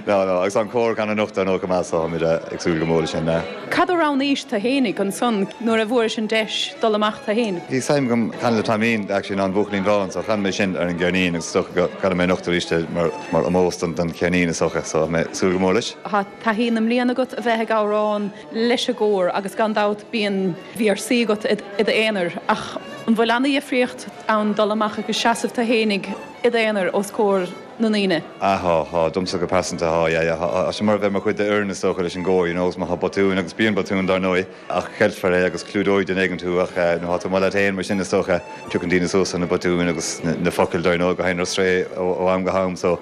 No, no, agus an cór gan anocht ar ndóigh chomh maith so táimid ag súil go mór leis sin. Cad a roghnaís tú fhéinig ansan nuair a bhfuairis an deis dul amach tú fhéin? Bhí suim agam canadh le Taimín actually ná an Buachaillín Bán so chan mé sin ar an gceirnín agus is dócha go gcanfaidh mé anocht arís é mar mar ómós don don cheirnín is dócha so tá mé ag súil go mór leis. Tá taithí na mblian agat a bheith ag amhrán leis an gcór agus gan dabht bíonn véarsaí agat i d'aonar ach an bhfuil ana-dhifríocht ann dul amach agus seasamh tú fhéinig i d'aonar os comhair na ndaoine? Ah tá, tá, domsa go pearsanta tá, yeah, yeah, tá sé mar a bheith mar chuid d'fhoireann is dócha leis an gcór, you know, agus má tá botún, agus bíonn botúin dar ndóigh, ach ceilfear é agus clúdóidh duine éigin tú ach nuair atá tú amuigh leat féin mar sin is dócha, piocann daoine suas ar na botúin agus na focail dar ndóigh go théann ar strae ó am go ham so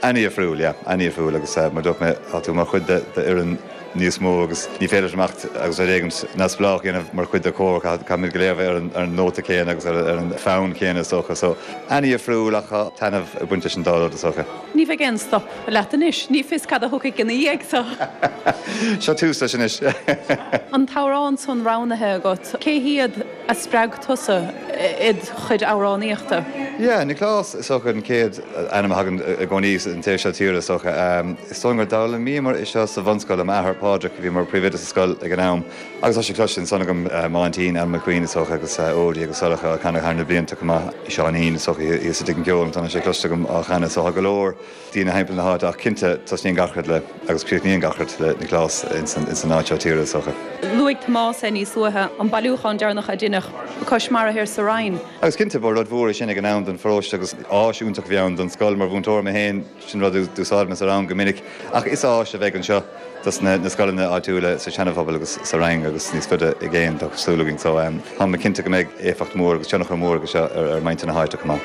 an-difriúil, yeah, an-difriúil agus mar dúirt mé, tá tú mar chuid d'fhoireann níos mó agus ní féidir leat imeacht agus rud éigin neamhspleách a dhéanamh mar chuid de chór, caithfimid go léir a bheith ar an ar an nóta céanna agus ar ar an bhfonn céanna is dócha. So, an-difriúil ach tá taitneamh ag baint leis an dá rud is dócha. Ní bheidh aon stop leat anois, ní fios cad a thiocfaidh ina dhiaidh so. Seo tús leis anois. An t-amhrán san roghnaithe agat, cé hiad a spreag tusa id chuid amhránaíochta? Yeah, Nioclás is dócha an chéad ainm a thagann i gcónaí an taobh seo tíre is dócha. Is dóigh gur d'fhoghlaimíomar é seo sa bhunscoil le m'athair Pádraig a bhí mar phríomhoide sa scoil ag an am agus tá sé cloiste ansan agam m'aintín Anne McQueen is dócha agus Odie agus Sorcha á chanadh thar na blianta chomh maith. Seáinín is dócha thíos i dTigh an Cheoil tá sé cloiste agam á chanadh so tá go leor daoine thimpeall na háite ach cinnte tosnaíonn gach rud le agus críochnaíonn gach rud le Nioclás ins an áit seo tíre is dócha. Luaigh Tomás é níos luaithe, an bailiúchán deireanach a deineadh cois mara thoir sa Rinn. Agus cinnte ba rud mhór é sin ag an am don pharóiste agus áis iontach a bhí ann don scoil mar mhúinteoir mé féin, sin rud a d'úsáid mé sa rang go minic. Ach is áis a bheidh anseo dos na scoileanna áitiúla sa Seana-Phobal agus sa Rinn agus níos faide i gcéin, tá súil againn. So tá mé cinnte go mbeidh éifeacht mhór agus tionchar mór aige seo ar muintir na háite chomh maith.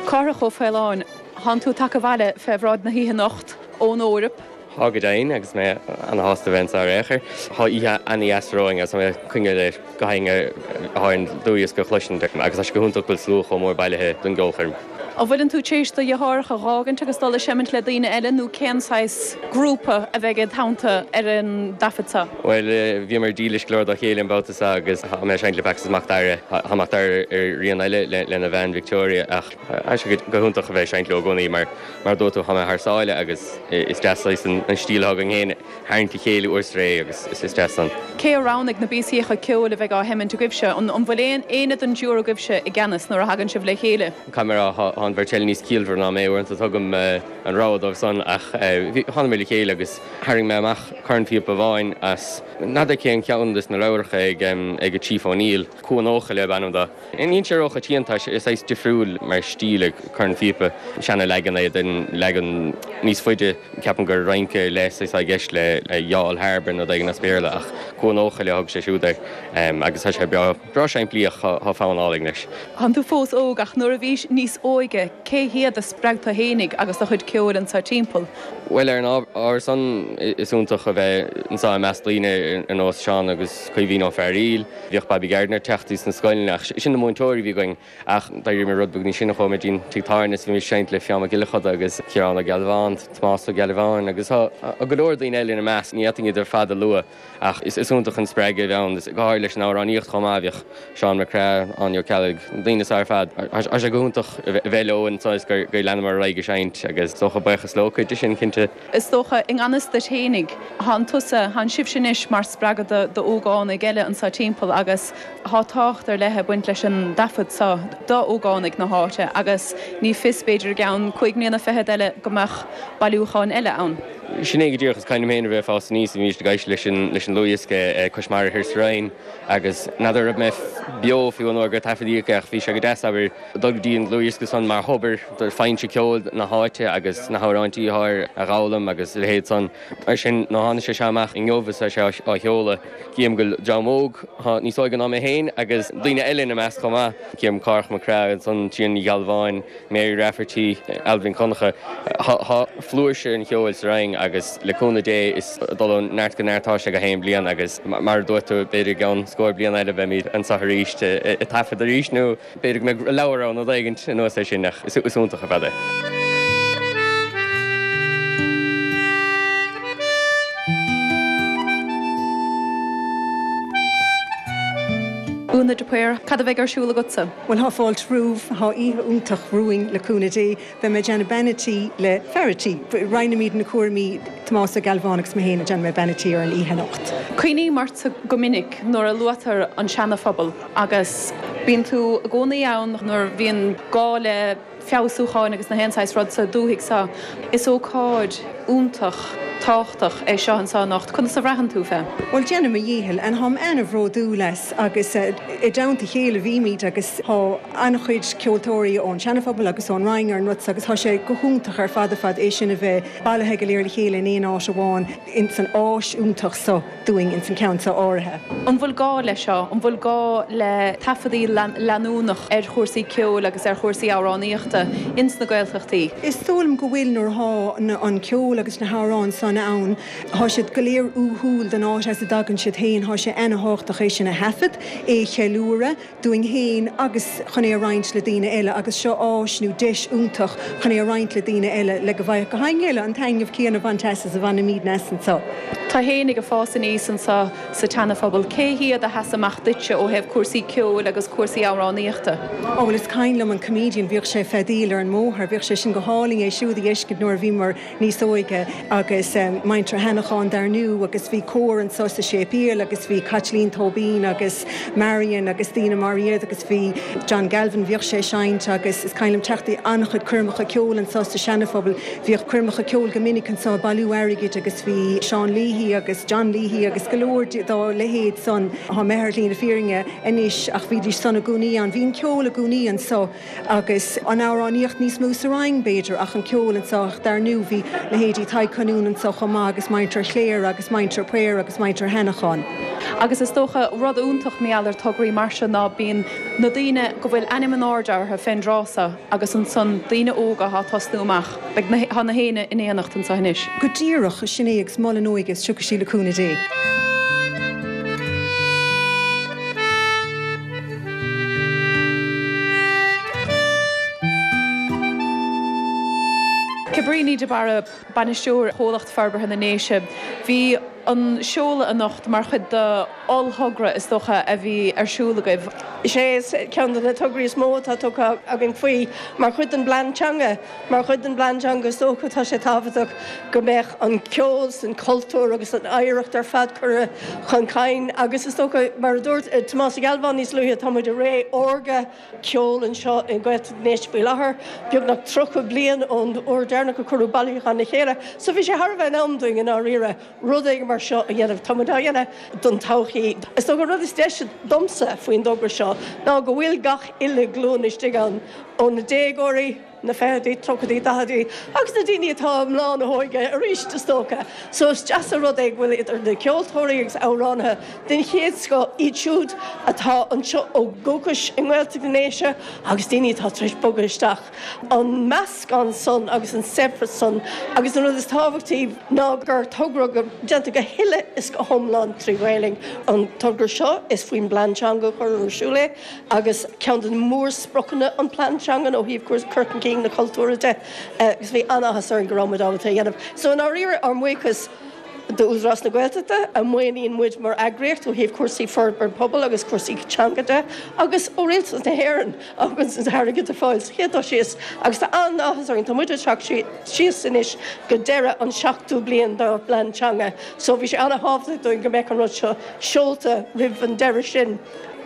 Cárthach Ó Faoláin, Tánn tú tagtha abhaile fé bhráid na hoíche anocht ón Eoraip. Tá go deimhin, agus mé ana-shásta a bheith anseo ar aon chor. Tá oíche ana-dheas romhainn agus tá mé ag coinne le gach éinne atá ar an dlúthdhiosca a chloisint agus tá sé go hiontach go bhfuil slua chomh mór bailithe don gceolchoirm. An bhfuileann tú tar éis do dheartháireacha a dh'fhágaint agus dul ag seimint le daoine eile nó cén saghas grúpa a bheidh id theannta ar an dtaifead seo? Bhuel, bhíomar dílis go leor dá chéile an babhta seo agus tá mé ag seinnt le Pax is Mac Dara. Tá Mac Dara ar rian eile lena bhean Victoria ach tá sé go hiontach a bheith ag seinnt leo i gcónaí mar, mar a dúirt tú, tá mé thar sáile agus is deas saghas an stíl atá againn féin a tharraingt le chéile uair is ré agus is deas san. Cé a roghnaigh na píosaíocha ceoil a bheidh á sheimint agaibhse? An bhfuil aon éinne den dtriúr agaibhse i gceannas nuair a thagann sibh le chéile? Caithfidh mé a rá, tá an bheirt eile níos ciallmhaire ná mé, uaireanta tugaim an rogha dóibh san ach thánamar le chéile agus tharraing mé amach cornphíopa amháin as n'fheadar cén ceann des na leabhracha ag ag Chief O'Neill, Cuan Eochaille ab ainm dó. Níl sé róchoitianta, tá sé saghas difriúil mar stíl ag cornphíopa, seana-leagan é den leagan níos faide, ceapaim gur rince le saghas atá i gceist le Youghal Harbour nó rud éigin as Béarla ach Cuan Eochaille a thug sé siúd air agus tá sé breá, breá simplí ach tá fonn álainn leis. Tánn tú fós óg ach nuair a bhís níos óige, óige, cé hiad a spreag tú fhéinig agus do chuid ceoil anseo timpeall? Bhuel, ar an ábhar san, is iontach a bheith anseo i measc daoine ar nós Seán agus Caoimhín Ó Fearaíl. Bhíodh Bobby Gardiner ag teacht sna scoileanna ach sin na múinteoirí a bhí againn ach d'éirigh mé rud beag níos sine chuaigh mé dtí an tigh tábhairne is bhí mé ag seinnt le Fionn Mac Giolla Choda agus Ciarán Ó Gealbháin, Tomás Ó Gealbháin agus tá go leor daoine eile ina measc, ní fhéadfainn iad ar fad a lua ach is iontach an spreagadh a bhí ann, go háirithe leis an amhránaíocht chomh maith, bhíodh Seán Mac Craith, Áine Ó Ceallaigh, na daoine seo ar fad, tá sé go hiontach a bheith leo anseo is gur leanamar ar aghaidh ag seinnt agus is dócha buíochas leo cuid de sin cinnte. Is dócha i ngan fhios duit fhéinig, thánn tusa, thánn sibhse anois mar spreagadh d'ógánaigh eile anseo timpeall agus thá tábhacht ar leith ag baint leis an dtaifead seo d'ógánaigh na háite agus ní fios b'fhéidir i gceann cúig mbliana fichead eile go mbeadh bailiúchán eile ann. Sin é go díreach, is cuimhin liom féin a bheith ag fás aníos, bhímís ag éisteacht leis an leis an dlúthdhiosca Cois Mara Thiar sa Rinn agus n'fheadar raibh mé beo fiú an uair gur taifeadaíodh é ach bhí sé go deas abair dul go dtí an dlúthdhiosca san mar thobar do foinse ceoil na háite agus na hamhráintí atá air a dh'fhoghlaim agus a leithéid san. Mar sin nuair a tháinig sé seo amach inniu is é seo á sheoladh, cím go bhfuil dream óg atá níos óige ná mé féin agus daoine eile ina measc chomh maith, cím Cárthach Mac Craith ansan, Tríona Ní Ghealbháin, Mary Rafferty, Alvin Connacha. Tá flúirse an cheoil sa Rinn agus le cúnamh Dé is ag dul ó neart go neart atá sé gach aon bliain agus mar a dúirt tú b'fhéidir i gceann scór bliain eile beimid anseo arís ag taifead arís nó b'fhéidir go mbeidh leabhar ann nó rud éigin anuas air sin ach is iontach ar fad é. Úna de Paor, Cad a bheidh ar siúl agatsa? Bhuel, thá fáilte romhaibh, thá oíche iontach romhainn le cúnamh Dé. Beidh mé ag déanamh bean a' tí le fear a' tí. Roinnimid na cúraimí, Tomás Ó Gealbháin agus mé féin ag déanamh bean a' tí ar an oíche anocht. Cuimhním ortsa go minic nuair a luaitear an Seana-Phobal agus bíonn tú i gcónaí ann nuair a bhíonn gá le feabhsúcháin agus na haon saghas rud sa dúthaigh seo. Is ócáid iontach tábhachtach é seo anseo anocht. Conas a bhraitheann tú fé? Bhuel, déanaim mo dhícheall and tháim ana-bhródúil as agus i dteannta a chéile bhímid agus tá an-chuid ceoltóirí ón Seana-Phobal agus ón Rinn ar an rud seo agus tá sé go hiontach ar fad ar fad é sin a bheith bailithe go léir le chéile in aon áit amháin ins an áis iontach seo dúinn ins an ceann seo áirithe. An bhfuil gá leis seo? An bhfuil gá le taifeadaí leanúnach ar chúrsaí ceoil agus ar chúrsaí amhránaíochta ins na Gaeltachtaí? Is dóigh liom go bhfuil nuair athá an ceol agus na hamhráin san ann, thá siad go léir uathúil don áit as a dtagann siad féin, thá sé ana-thábhachtach é sin a thaifead, é a cheiliúradh, dúinn féin agus chun é a roinnt le daoine eile agus seo áis nó deis iontach chun é a roinnt le daoine eile le go bhfaigheadh gach éinne eile an taitneamh céanna a bhaint as is a bhainimidne as anseo. Tú fhéinig ag fás aníos anseo sa tSeana-Phobal, cé hiad a sheas amach duitse ó thaobh cúrsaí ceoil agus cúrsaí amhránaíochta? Ó bhuel is cuimhin liom an comedian, bhíodh sé ag feadaíl ar an mbóthar, bhíodh sé sin go hálainn é siúd a fheiscint nuair a bhíomar níos óige agus muintir Sheanacháin dar ndú agus bhí cór anseo sa séipéal agus bhí Caitlín Tóibín agus Marion agus daoine mar iad agus bhí John Galvin, bhíodh sé ag seinnt agus is cuimhin liom teacht i an-chuid coirmeacha ceoil anseo sa Seana-Phobal, bhíodh coirmeacha ceoil go minic anseo ag bailiú airgid agus bhí Seán Leahy agus John Leahy agus go leor dá leithéid san, thá mé ar shlí na fírinne anois ach bhídís san i gcónaí ann, bhí an ceol i gcónaí anseo agus an amhránaíocht níos mó sa Rinn b'fhéidir ach an ceol anseo ach dar ndú bhí leithéidí Tadhg Colquhoun anseo chomh maith agus muintir Chléire agus muintir Paor agus muintir Sheanacháin. Agus is dócha rud iontach mar gheall ar tograí mar seo ná bíonn na daoine go bhfuil ainm in airde orthu fén dtráth seo agus ansan daoine óga athá tosnú amach. Beidh na, tá na héinne in éineacht anseo anois. Go díreach, sin é agus mol an óige is tiocfaidh sí le cúnamh Dé. Cabríní de Barra, Bainisteoir Chomhlacht Forbartha na nDéise, Bhí an seoladh anocht mar chuid de ollthogra is dócha a bhí ar siúl agaibh. Is é is ceann de na tograí is mó atá tugtha againn faoi mar chuid den bplean teanga. Mar chuid den bplean teanga is dócha tá sé tábhachtach go mbeadh an ceol 's an cultúr agus an oidhreacht ar fad curtha chun cinn agus is dócha mar a dúirt Tomás Ó Gealbháin níos luaithe tá muid i ré órga ceoil anseo i nGaeltacht na nDéise faoi láthair, beagnach tríocha bliain ón uair deireanach a cuireadh bailiúchán le chéile. So bhí sé thar a bheith in am dúinn i ndáiríre rud éigin mar seo a dhéanamh. Tá muid á dhéanamh don todhchaí. Is dócha an rud is deise domsa faoin dtogra seo ná go bhfuil gach uile glúin istigh ann, ó na déagóirí, na fichidí, tríochaidí, daichidí agus na daoine atá i mbláth na hóige arís is dócha. So is deas an rud é go bhfuil idir na ceoltóirí agus amhránaithe den chéad scoth, iad siúd atá anseo ó dhúchas i nGaeltacht na nDéise agus daoine atá tar éis bogadh isteach. An meascán san agus an saibhreas san agus an rud is tábhachtaí ná gur togra go déanta go huile is go hiomlán trí Ghaelainn. An togra seo is faoin bplean teanga a cuireadh ar siúl é agus ceann de na mórspriocanna an plean teanga ó thaobh cur chun cinn na cultúra de agus bhí an-áthas orainn go raibh muid ábalta é a dhéanamh. So i ndáiríre ár mbuíochas d'Údarás na Gaeltachta, a mhaoiníonn muid mar eagraíocht ó thaobh cúrsaí forbairt pobail agus cúrsaí teanga de, agus ó Rialtas na hÉireann a thugann an t-airgead ar fáil sa chéad dul síos. Agus tá an-áthas orainn, tá muid ag teacht síos anois go deireadh an seachtú bliain dár bplean teanga, so bhí sé an-thábhachtach dúinn go mbeadh an rud seo seolta roimh an deireadh sin.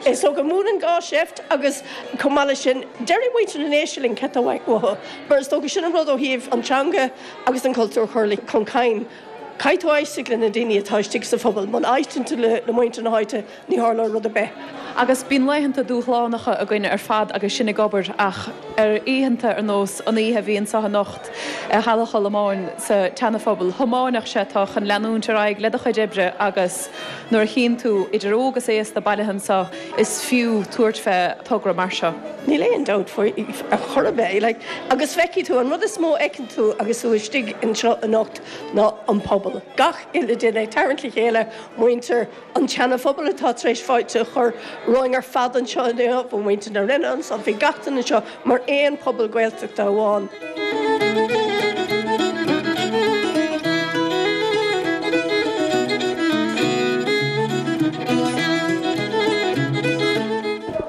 Is dócha múineann gá seift agus chomh maith leis sin, déarfaidh muintir na nDéise linn cad tá uathu, mar is dócha sin an rud ó thaobh an teanga agus an cultúr a chur chun cinn. Caithfidh tú éisteacht le na daoine atá istigh sa phobal. Muna éisteann tú le muintir na háite, ní tharlóidh rud ar bith. Agus bíonn laethanta dúshlánacha againn ar fad agus sinn ag obair ach ar oícheanta ar nós an oíche a bhí anseo anocht i Halla Cholmáin sa tSeana-Phobal, thiomáinfeadh sé tú chun leanúint ar aghaidh le do chuid oibre agus nuair a chíonn tú idir óg is aosta bailithe anseo, is fiú tabhairt fé togra mar seo. Níl aon dabht faoi ar chor ar bith. Like, agus feicfidh tú, an rud is mó a fheiceann tú agus tú istigh anseo anocht ná an pobal. Gach uile duine ag tarraingt le chéile, muintir an tSeana-Phobail atá tar éis fáilte a chur romhainn ar fad anseo inniu, bhí muintir na Rinne anseo, bhí gach duine anseo mar aon pobal Gaeltachta amháin.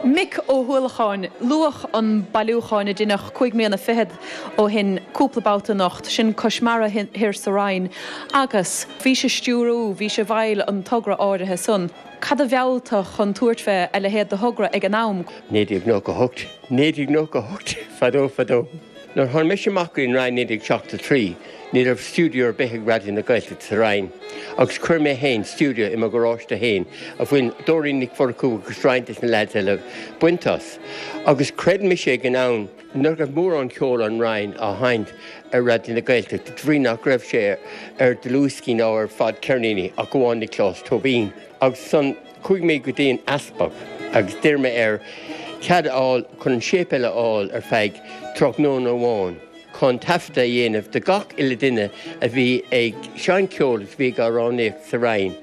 Mick Ó hUallacháin, Luadh an bailiúchán a deineadh cúig mbliana fichead ó shin cúpla babhta anocht, sin Cois Mara Thoir sa Rinn, agus bhís ag stiúrú, bhís i bhfeighil an togra áirithe san. Cad a mheall tú chun tabhairt fé a leithéid de thogra ag an am? naoi déag nócha a hocht, naoi déag nócha a hocht, fadó fadó. Nuair a tháinig mise amach go dtí an Rinn naoi déag seachtó trí, ní raibh stiúideo ar bith ag Raidió na Gaeltachta sa Rinn agus chuir mé féin stiúideo i mo gharáiste féin a bhain Dóirín Nic Mhurchú agus roinnt des na leaids eile baint as. Agus chreid mise ag an am nach raibh mórán ceol ón Rinn á sheinnt ar Raidió na Gaeltachta de bhrí nach raibh sé ar dlúthdhioscaí ná ar fadcheirníní ach amháin Nioclás Tóibín. Agus ansan chuaigh mé go dtí an easpag agus d'iarr mé air cead a fháil chun an séipéal a fháil ar feadh tráthnóna amháin chun taifeadadh a dhéanamh de gach uile duine a bhí ag seinnt ceoil agus a bhí ag amhránaíocht sa Rinn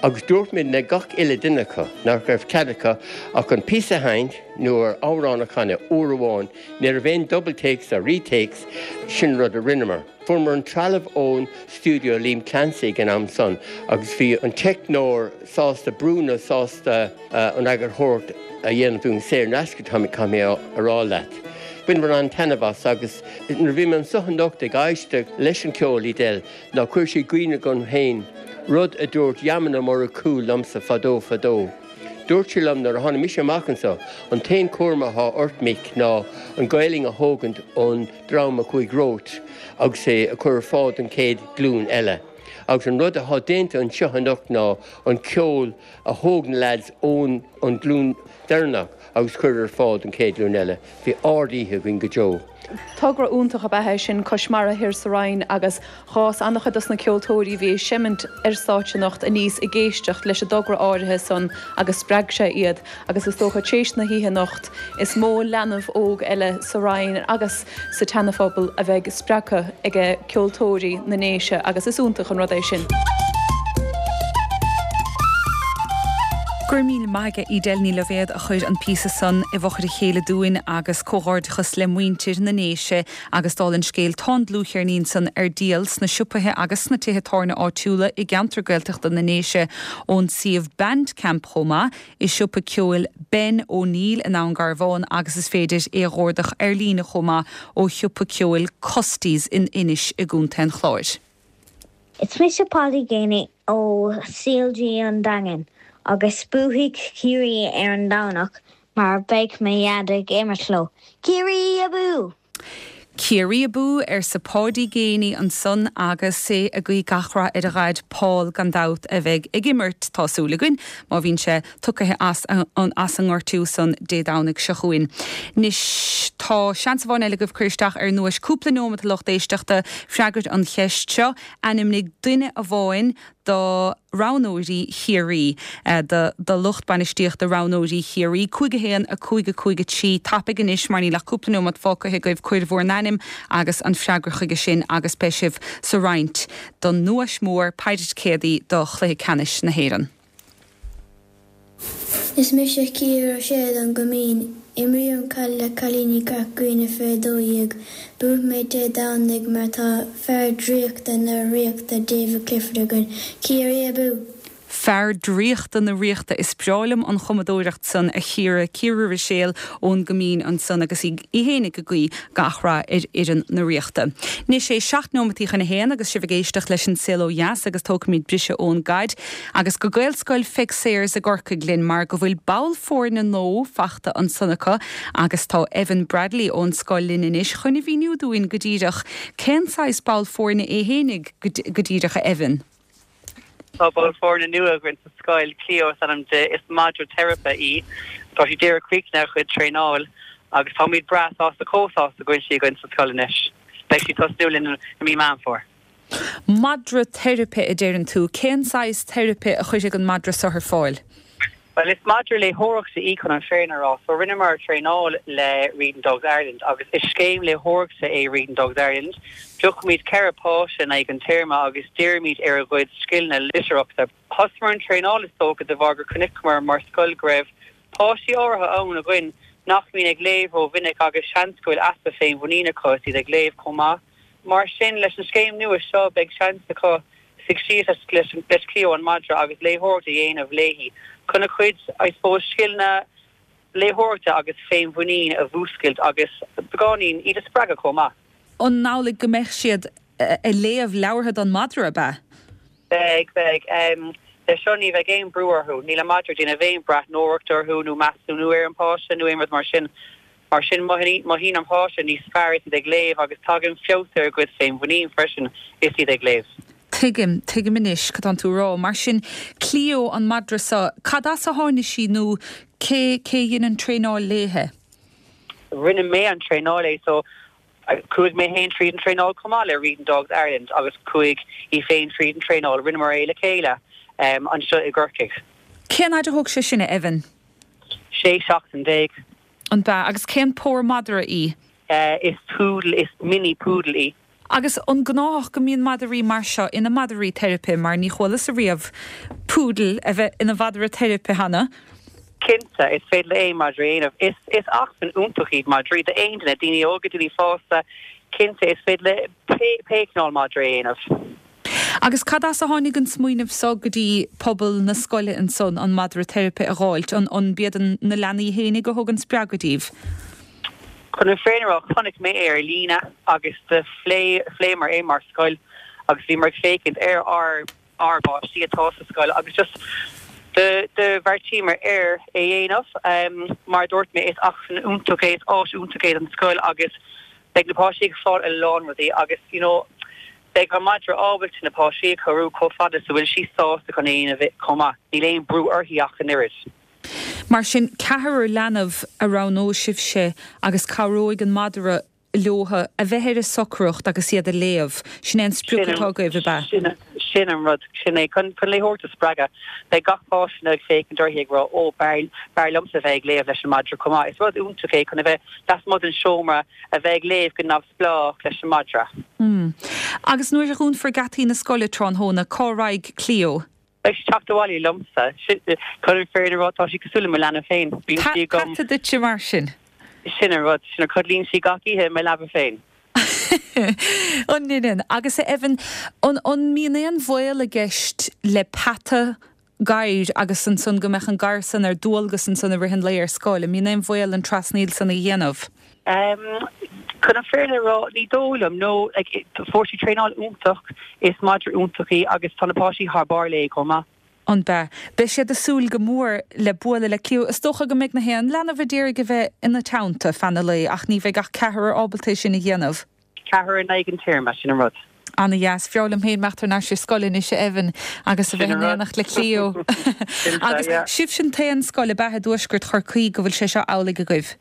agus dúirt mé le gach uile duine acu nach raibh cead acu ach an píosa a sheinnt nó an t-amhrán a chanadh uair amháin, ní raibh aon double takes ná retakes, sin rud a rinneamar. Fuaireamar an trealamh ón stiúideo Liam Clancy ag an am san agus bhí an teicneoir sásta, Bruno, sásta an eagarthóireacht a dhéanamh dúinn saor in aisce, caithfidh mé a rá leat. Bhaineamar an-taitneamh as agus nuair a bhí mé anso anocht ag éisteacht leis an cheol, Edel, ná chuir sé i gcuimhne dhom féin rud a dúirt Yaman Ó Murchú liomsa fadó fadó. Dúirt sé liom nuair a tháinig mise amach anso, an t-aon chúram athá ort, Mick, ná an Ghaelainn a thógaint ón dream a chuaigh romhat agus é a chur ar fáil don chéad ghlúin eile. Agus an rud athá déanta anseo anocht ná an ceol a thóg na leaids ón an ghlúin deireanach agus chur ar fáil don chéad ghlúin eile. Bhí ard-oíche againn go deo. Togra iontach ab ea é sin, Cois Mara Thoir sa Rinn agus dh'fhás an-chuid dos na ceoltóirí a bhí ag seimint ar stáitse anocht aníos ag éisteacht leis an dtogra áirithe san agus spreag sé iad agus is dócha tar éis na hoíche anocht is mó leanbh óg eile sa Rinn agus sa tSeana-Phobal a bheidh spreagtha ag ceoltóirí na nDéise agus is iontach an rud é sin. Go raibh míle maith aige Edel Ní Loibhéad a chuir an píosa san i bhfochair a chéile dúinn agus comhghairdeachas le muintir na nDéise agus dála an scéil tá an dlúthcheirnín san ar díol sna siopaithe agus sna tithe tábhairne áitiúla i gceantar Gaeltachta na nDéise ón suíomh Bandcamp chomh maith i siopa ceoil Ben O'Neill in Abhainn Garbhán agus is féidir é a dh'ordach ar líne chomh maith ó shiopa ceoil Custies in Inis i gContae an Chláir. Is mise Polly Geaney ó CLG an Daingean agus buafaidh Ciarraí ar an Domhnach mar beidh mo dhaid ag imirt leo. Ciarraí abú! Ciarraí abú, arsa Páidí Geaney ansan agus é ag guí gach rath ar a dhaid Paul gan dabht a bheidh ag imirt, tá súil againn, má bhíonn sé tugtha as an as an ngortú san Dé Domhnaigh seo chugainn. Anois tá seans amháin eile agaibh cur isteach ar an nduais cúpla nóiméad a lucht éisteachta freagairt an cheist seo, ainmnigh duine amháin do roghnóirí Chiarraí, do do lucht bainistíochta roghnóirí Chiarraí. Cúig a haon, a cúig, a cúig a trí, tapaigh anois mar níl ach cúpla nóiméad fágtha agaibh, cuir bhur n-ainm agus an freagra chuige sin agus beidh sibh sa roinnt don nduais mhór paidir ticéadaí do Chluiche Ceannais na hÉireann. Is mise Ciara Ó Sé ón gCoimín. Imrím caid le cailíní gach Aoine faoi a dó dhéag. Buafaidh muid Dé Domhnaigh mar tá fear draíochta na Ríochta David Clifford againn. Ciarraí abú! Fear draíochta na Ríochta, is breá liom an chumadóireacht san a Chiara, Ciara Ruiséal ón gCoimín ansan agus í fhéinig ag guí gach rath ar fhoireann na Ríochta. Anois é seacht nóimeataí chun a haon agus sibh ag éisteacht leis an Saol Ó Dheas agus tógfaimid briseadh ón gcaid agus go Gaelscoil Pheig Sayers i gCorcaigh linn mar go bhfuil ball foirne nua fachta ansan acu agus tá Evan Bradley ón scoil linn anois chun a mhíniú dúinn go díreach cén saghas ball foirne é fhéinig go díreach a Evan. Tá ball foirne nua againn sa scoil, Cleo is ainm di. Is madra teiripe í. Tá sí díreach críochnaithe a cuid traenáil agus táimid breá sásta, chomh sásta go bhfuil sí againn sa scoil anois. Beidh sí ag tosnú linn i mí Meán Fómhair. Madra teiripe a deireann tú. Cén saghas teiripe a chuirfidh an madra seo ar fáil? Bhuel, is madra léitheoireachta í chun an fírinne a rá. So rinneamar traenáil le Reading Dogs Ireland agus is scéim léitheoireachta é Reading Dogs Ireland. Piocaimid ceithre páiste in aghaidh an téarma agus dírímid ar a gcuid scileanna litearthachta. Thosaíomar an traenáil is dócha de bharr gur chonaiceamar mar scoil go raibh páistí áirithe ann againn nach mbíonn ag léamh rómhinic agus seans go bhfuil easpa féinmhuinín acu is iad ag léamh chomh maith. Mar sin, leis an scéim nua seo beidh seans acu suigh síos leis Cleo an madra agus léitheoireacht a dhéanamh léi chun a cuid, I suppose, scileanna léitheoireachta agus féinmhuinín a mhúscailt agus beagáinín iad a spreagadh chomh maith. An amhlaidh go mbeidh siad ag léamh leabhartha don madra, ab ea? Beidh, beidh. Leis seo ní bheidh aon brú orthu. Níl an madra ag déanamh aon breathnóireacht orthu nó measúnú ar an bpáiste nó aon rud mar sin. Mar sin, mothaíonn an páiste níos fearr is iad ag léamh agus tagann feabhas ar a gcuid féinmhuinín freisin is iad ag léamh. Tuigim, tuigim anois cad tánn tú a rá. Mar sin, Cleo, an madra seo, cad as a tháinig sí nó cé, cé a dhein an traenáil léithe? Rinne mé an traenáil léi, so chuaigh mé féin tríd an traenáil chomh maith le Reading Dogs Ireland agus chuaigh í féin tríd an traenáil, rinneamar é le chéile anseo i gCorcaigh. Cén fhaid a thóg sé sin, a Evan? Sé seachtain déag. An b'ea? Agus cén pór madra í? Is poodle, is mini poodle í. Agus an gnáthach go mbíonn madraí mar seo ina madraí teiripe, mar ní chualas-sa riamh poodle a bheith ina mhadra teiripe cheana? Cinnte, is féidir le aon madra é a dhéanamh. Is, is acmhainn iontach iad madraí d'aon duine, daoine óga, daoine fásta, cinnte, is féidir le pé, pé cineál madra é a dhéanamh. Agus cad as a tháinig an smaoineamh so go dtí pobal na scoile ansan an madra teiripe a dh'fháilt? An, an b'iad na leanaí fhéinig a thug an spreagadh díbh? Chun an fírinne a rá, chonaic mé é ar líne agus do phlé, phléamar é mar scoil agus bhíomar ag féachaint ar ár, ár bpáistí atá sa scoil agus just do, do bheartaíomar ar é dhéanamh. Mar a dúirt mé, is acmhainn iontach é, is áis iontach é don scoil agus beidh na páistí ag fáil a lán rudaí agus you know, Beidh an madra ábalta na páistí a chabhrú chomh fada is a bhfuil sí sásta chun é a dhéanamh chomh maith. Níl aon brú uirthi ach an oiread. Mar sin, ceathrar leanbh a roghnóidh sibhse agus cabhróidh an madra leotha a bheith ar a socracht agus iad ag léamh. Sin é an sprioc atá agaibh, ab ea? Sin an rud. Sin é. Chun léitheoireacht a spreagadh, beidh gach páiste ag féachaint uirthi ag rá, 'Ó, b'fhearr liomsa a bheith ag léamh leis an madra chomh maith. Is rud iontach é chun a bheith lasmuigh den seomra, a bheith ag léamh go neamhspleách leis an madra. Mm. Agus nuair a dhúnfar geataí na scoile tráthnóna, cá raghaidh Cleo? Beidh sí ag teacht abhaile liomsa. Chun an fírinne a rá, tá sí cosúil le mo leanbh féin. Bíonn sí agam. Peata duitse mar sin. Sin an rud. Sin, codlaíonn sí gach oíche i mo leaba féin. An ndeineann? Agus a Evan, an mbíonn aon bhaol i gceist le peata gadhair agus ansan go mbeadh an gadhar san ar dualgas ansan i rith an lae ar scoil. An mbíonn aon bhaol an trasnaíl san a dhéanamh? Chun an fírinne a rá, ní dóigh liom, no. Like, fuair sí traenáil iontach, is madra iontach í agus tá na páistí thar barr léi chomh maith. An bea? Beidh siad ag súil go mór le bualadh le Clio. Is dócha go mbeidh na haon leanbh a d'iarraidh a bheith ina teannta feadh an lae ach ní bheidh ach ceathrar ábalta é sin a dhéanamh. Ceathrar in aghaidh an téarma, sin an rud. Ana dheas. B'fhearr liom féin imeacht thar n-ais ar scoil anois a Evan agus a bheith in éineacht le Clio. Agus sibhse an t-aon scoil ab ea i dTuaisceart Chorcaí go bhfuil sé seo amhlaidh agaibh?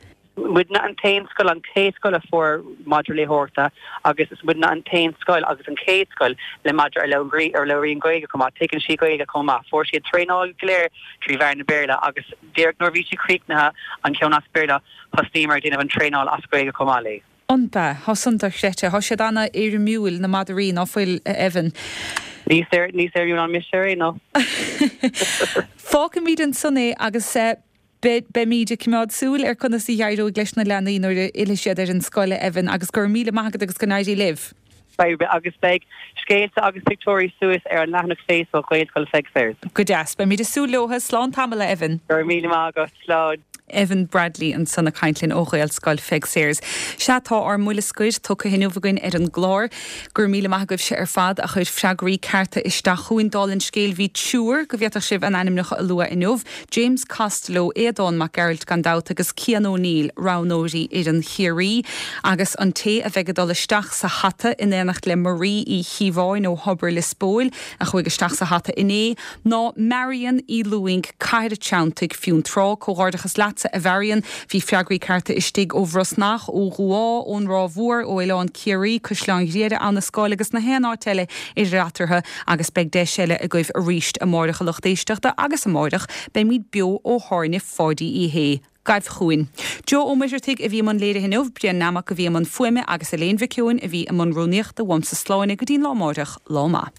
Muidne an t-aon scoil, an chéad scoil a fuair madra léitheoireachta agus is muidne an t-aon scoil agus an chéad scoil le madra a labhraíonn Gaeilge chomh maith. Tuigeann sí Gaeilge chomh maith. Fuair sí a traenáil go léir trí mheán na Béarla agus díreach nuair a bhí sí críochnaithe an ceann as Béarla thosnaíomar ag déanamh an traenáil as Gaeilge chomh maith léi. An bea? Tá san dochreidte. Tá siad an-éirimiúil, na madraí, ná fuil, a Evan? Níos éirimiúil ná mise ar aon nós. Fágfaimid ansan é agus beimid ag coimeád súil ar conas a d'éireoidh leis na leanaí nuair a fhillfidh siad ar an scoil, a Evan, agus go raibh míle maith agat agus go n-éirí libh. Beidh, agus beidh scéalta agus pictiúirí suas ar an leathanach Facebook Ghaelscoil Pheig Sayers. Go deas. Beimid ag súil leo. Slán tamall, a Evan. Go raibh míle maith agat. Slán. Evan Bradley ansan ag caint linn ó Ghaelscoil Pheig Sayers. Sea, tá ár mbuille scoir tugtha inniu againn ar an gclár. Go raibh míle maith agaibhse ar fad a chuir freagraí cearta isteach chugainn. Dála an scéil, bhí triúr go bhféadfadh sibh a n-ainmneacha a lua inniu, James Costello, Aodán Mac Gearailt gan dabht agus Cian O'Neill, roghnóirí fhoireann Chiarraí. Agus an té a bheidh ag dul isteach sa hata in éineacht le Marie Uí Chíobháin ó Thobar Lios Póil, a chuaigh isteach sa hata inné, ná Marion Uí Lúing, Cathair an Treanntaigh, Fionntrá. Comhghairdeachas leatsa, a Mharion. Bhí freagraí cearta istigh ó Bhrosnach, ó Dhumhá, ón Ráth Mhór, ó Oileán Ciarraí, Caisleán Ghriaire, Annascáil agus na haon áit eile idir eatarthu agus beidh deis eile agaibh arís amáireach a lucht éisteachta agus amáireach beimid beo ó Thábhairne Pháidí Uí Shé. Gabh chugainn. Joe Ó Muircheartaigh a bhí i mbun léirithe inniu, Brian Nammock a bhí i mbun fuaime agus Elaine Mhic Eoin a bhí i mbun rúnaíochta. Uaimse Sláine go dtí'n lá amáireach, lá maith.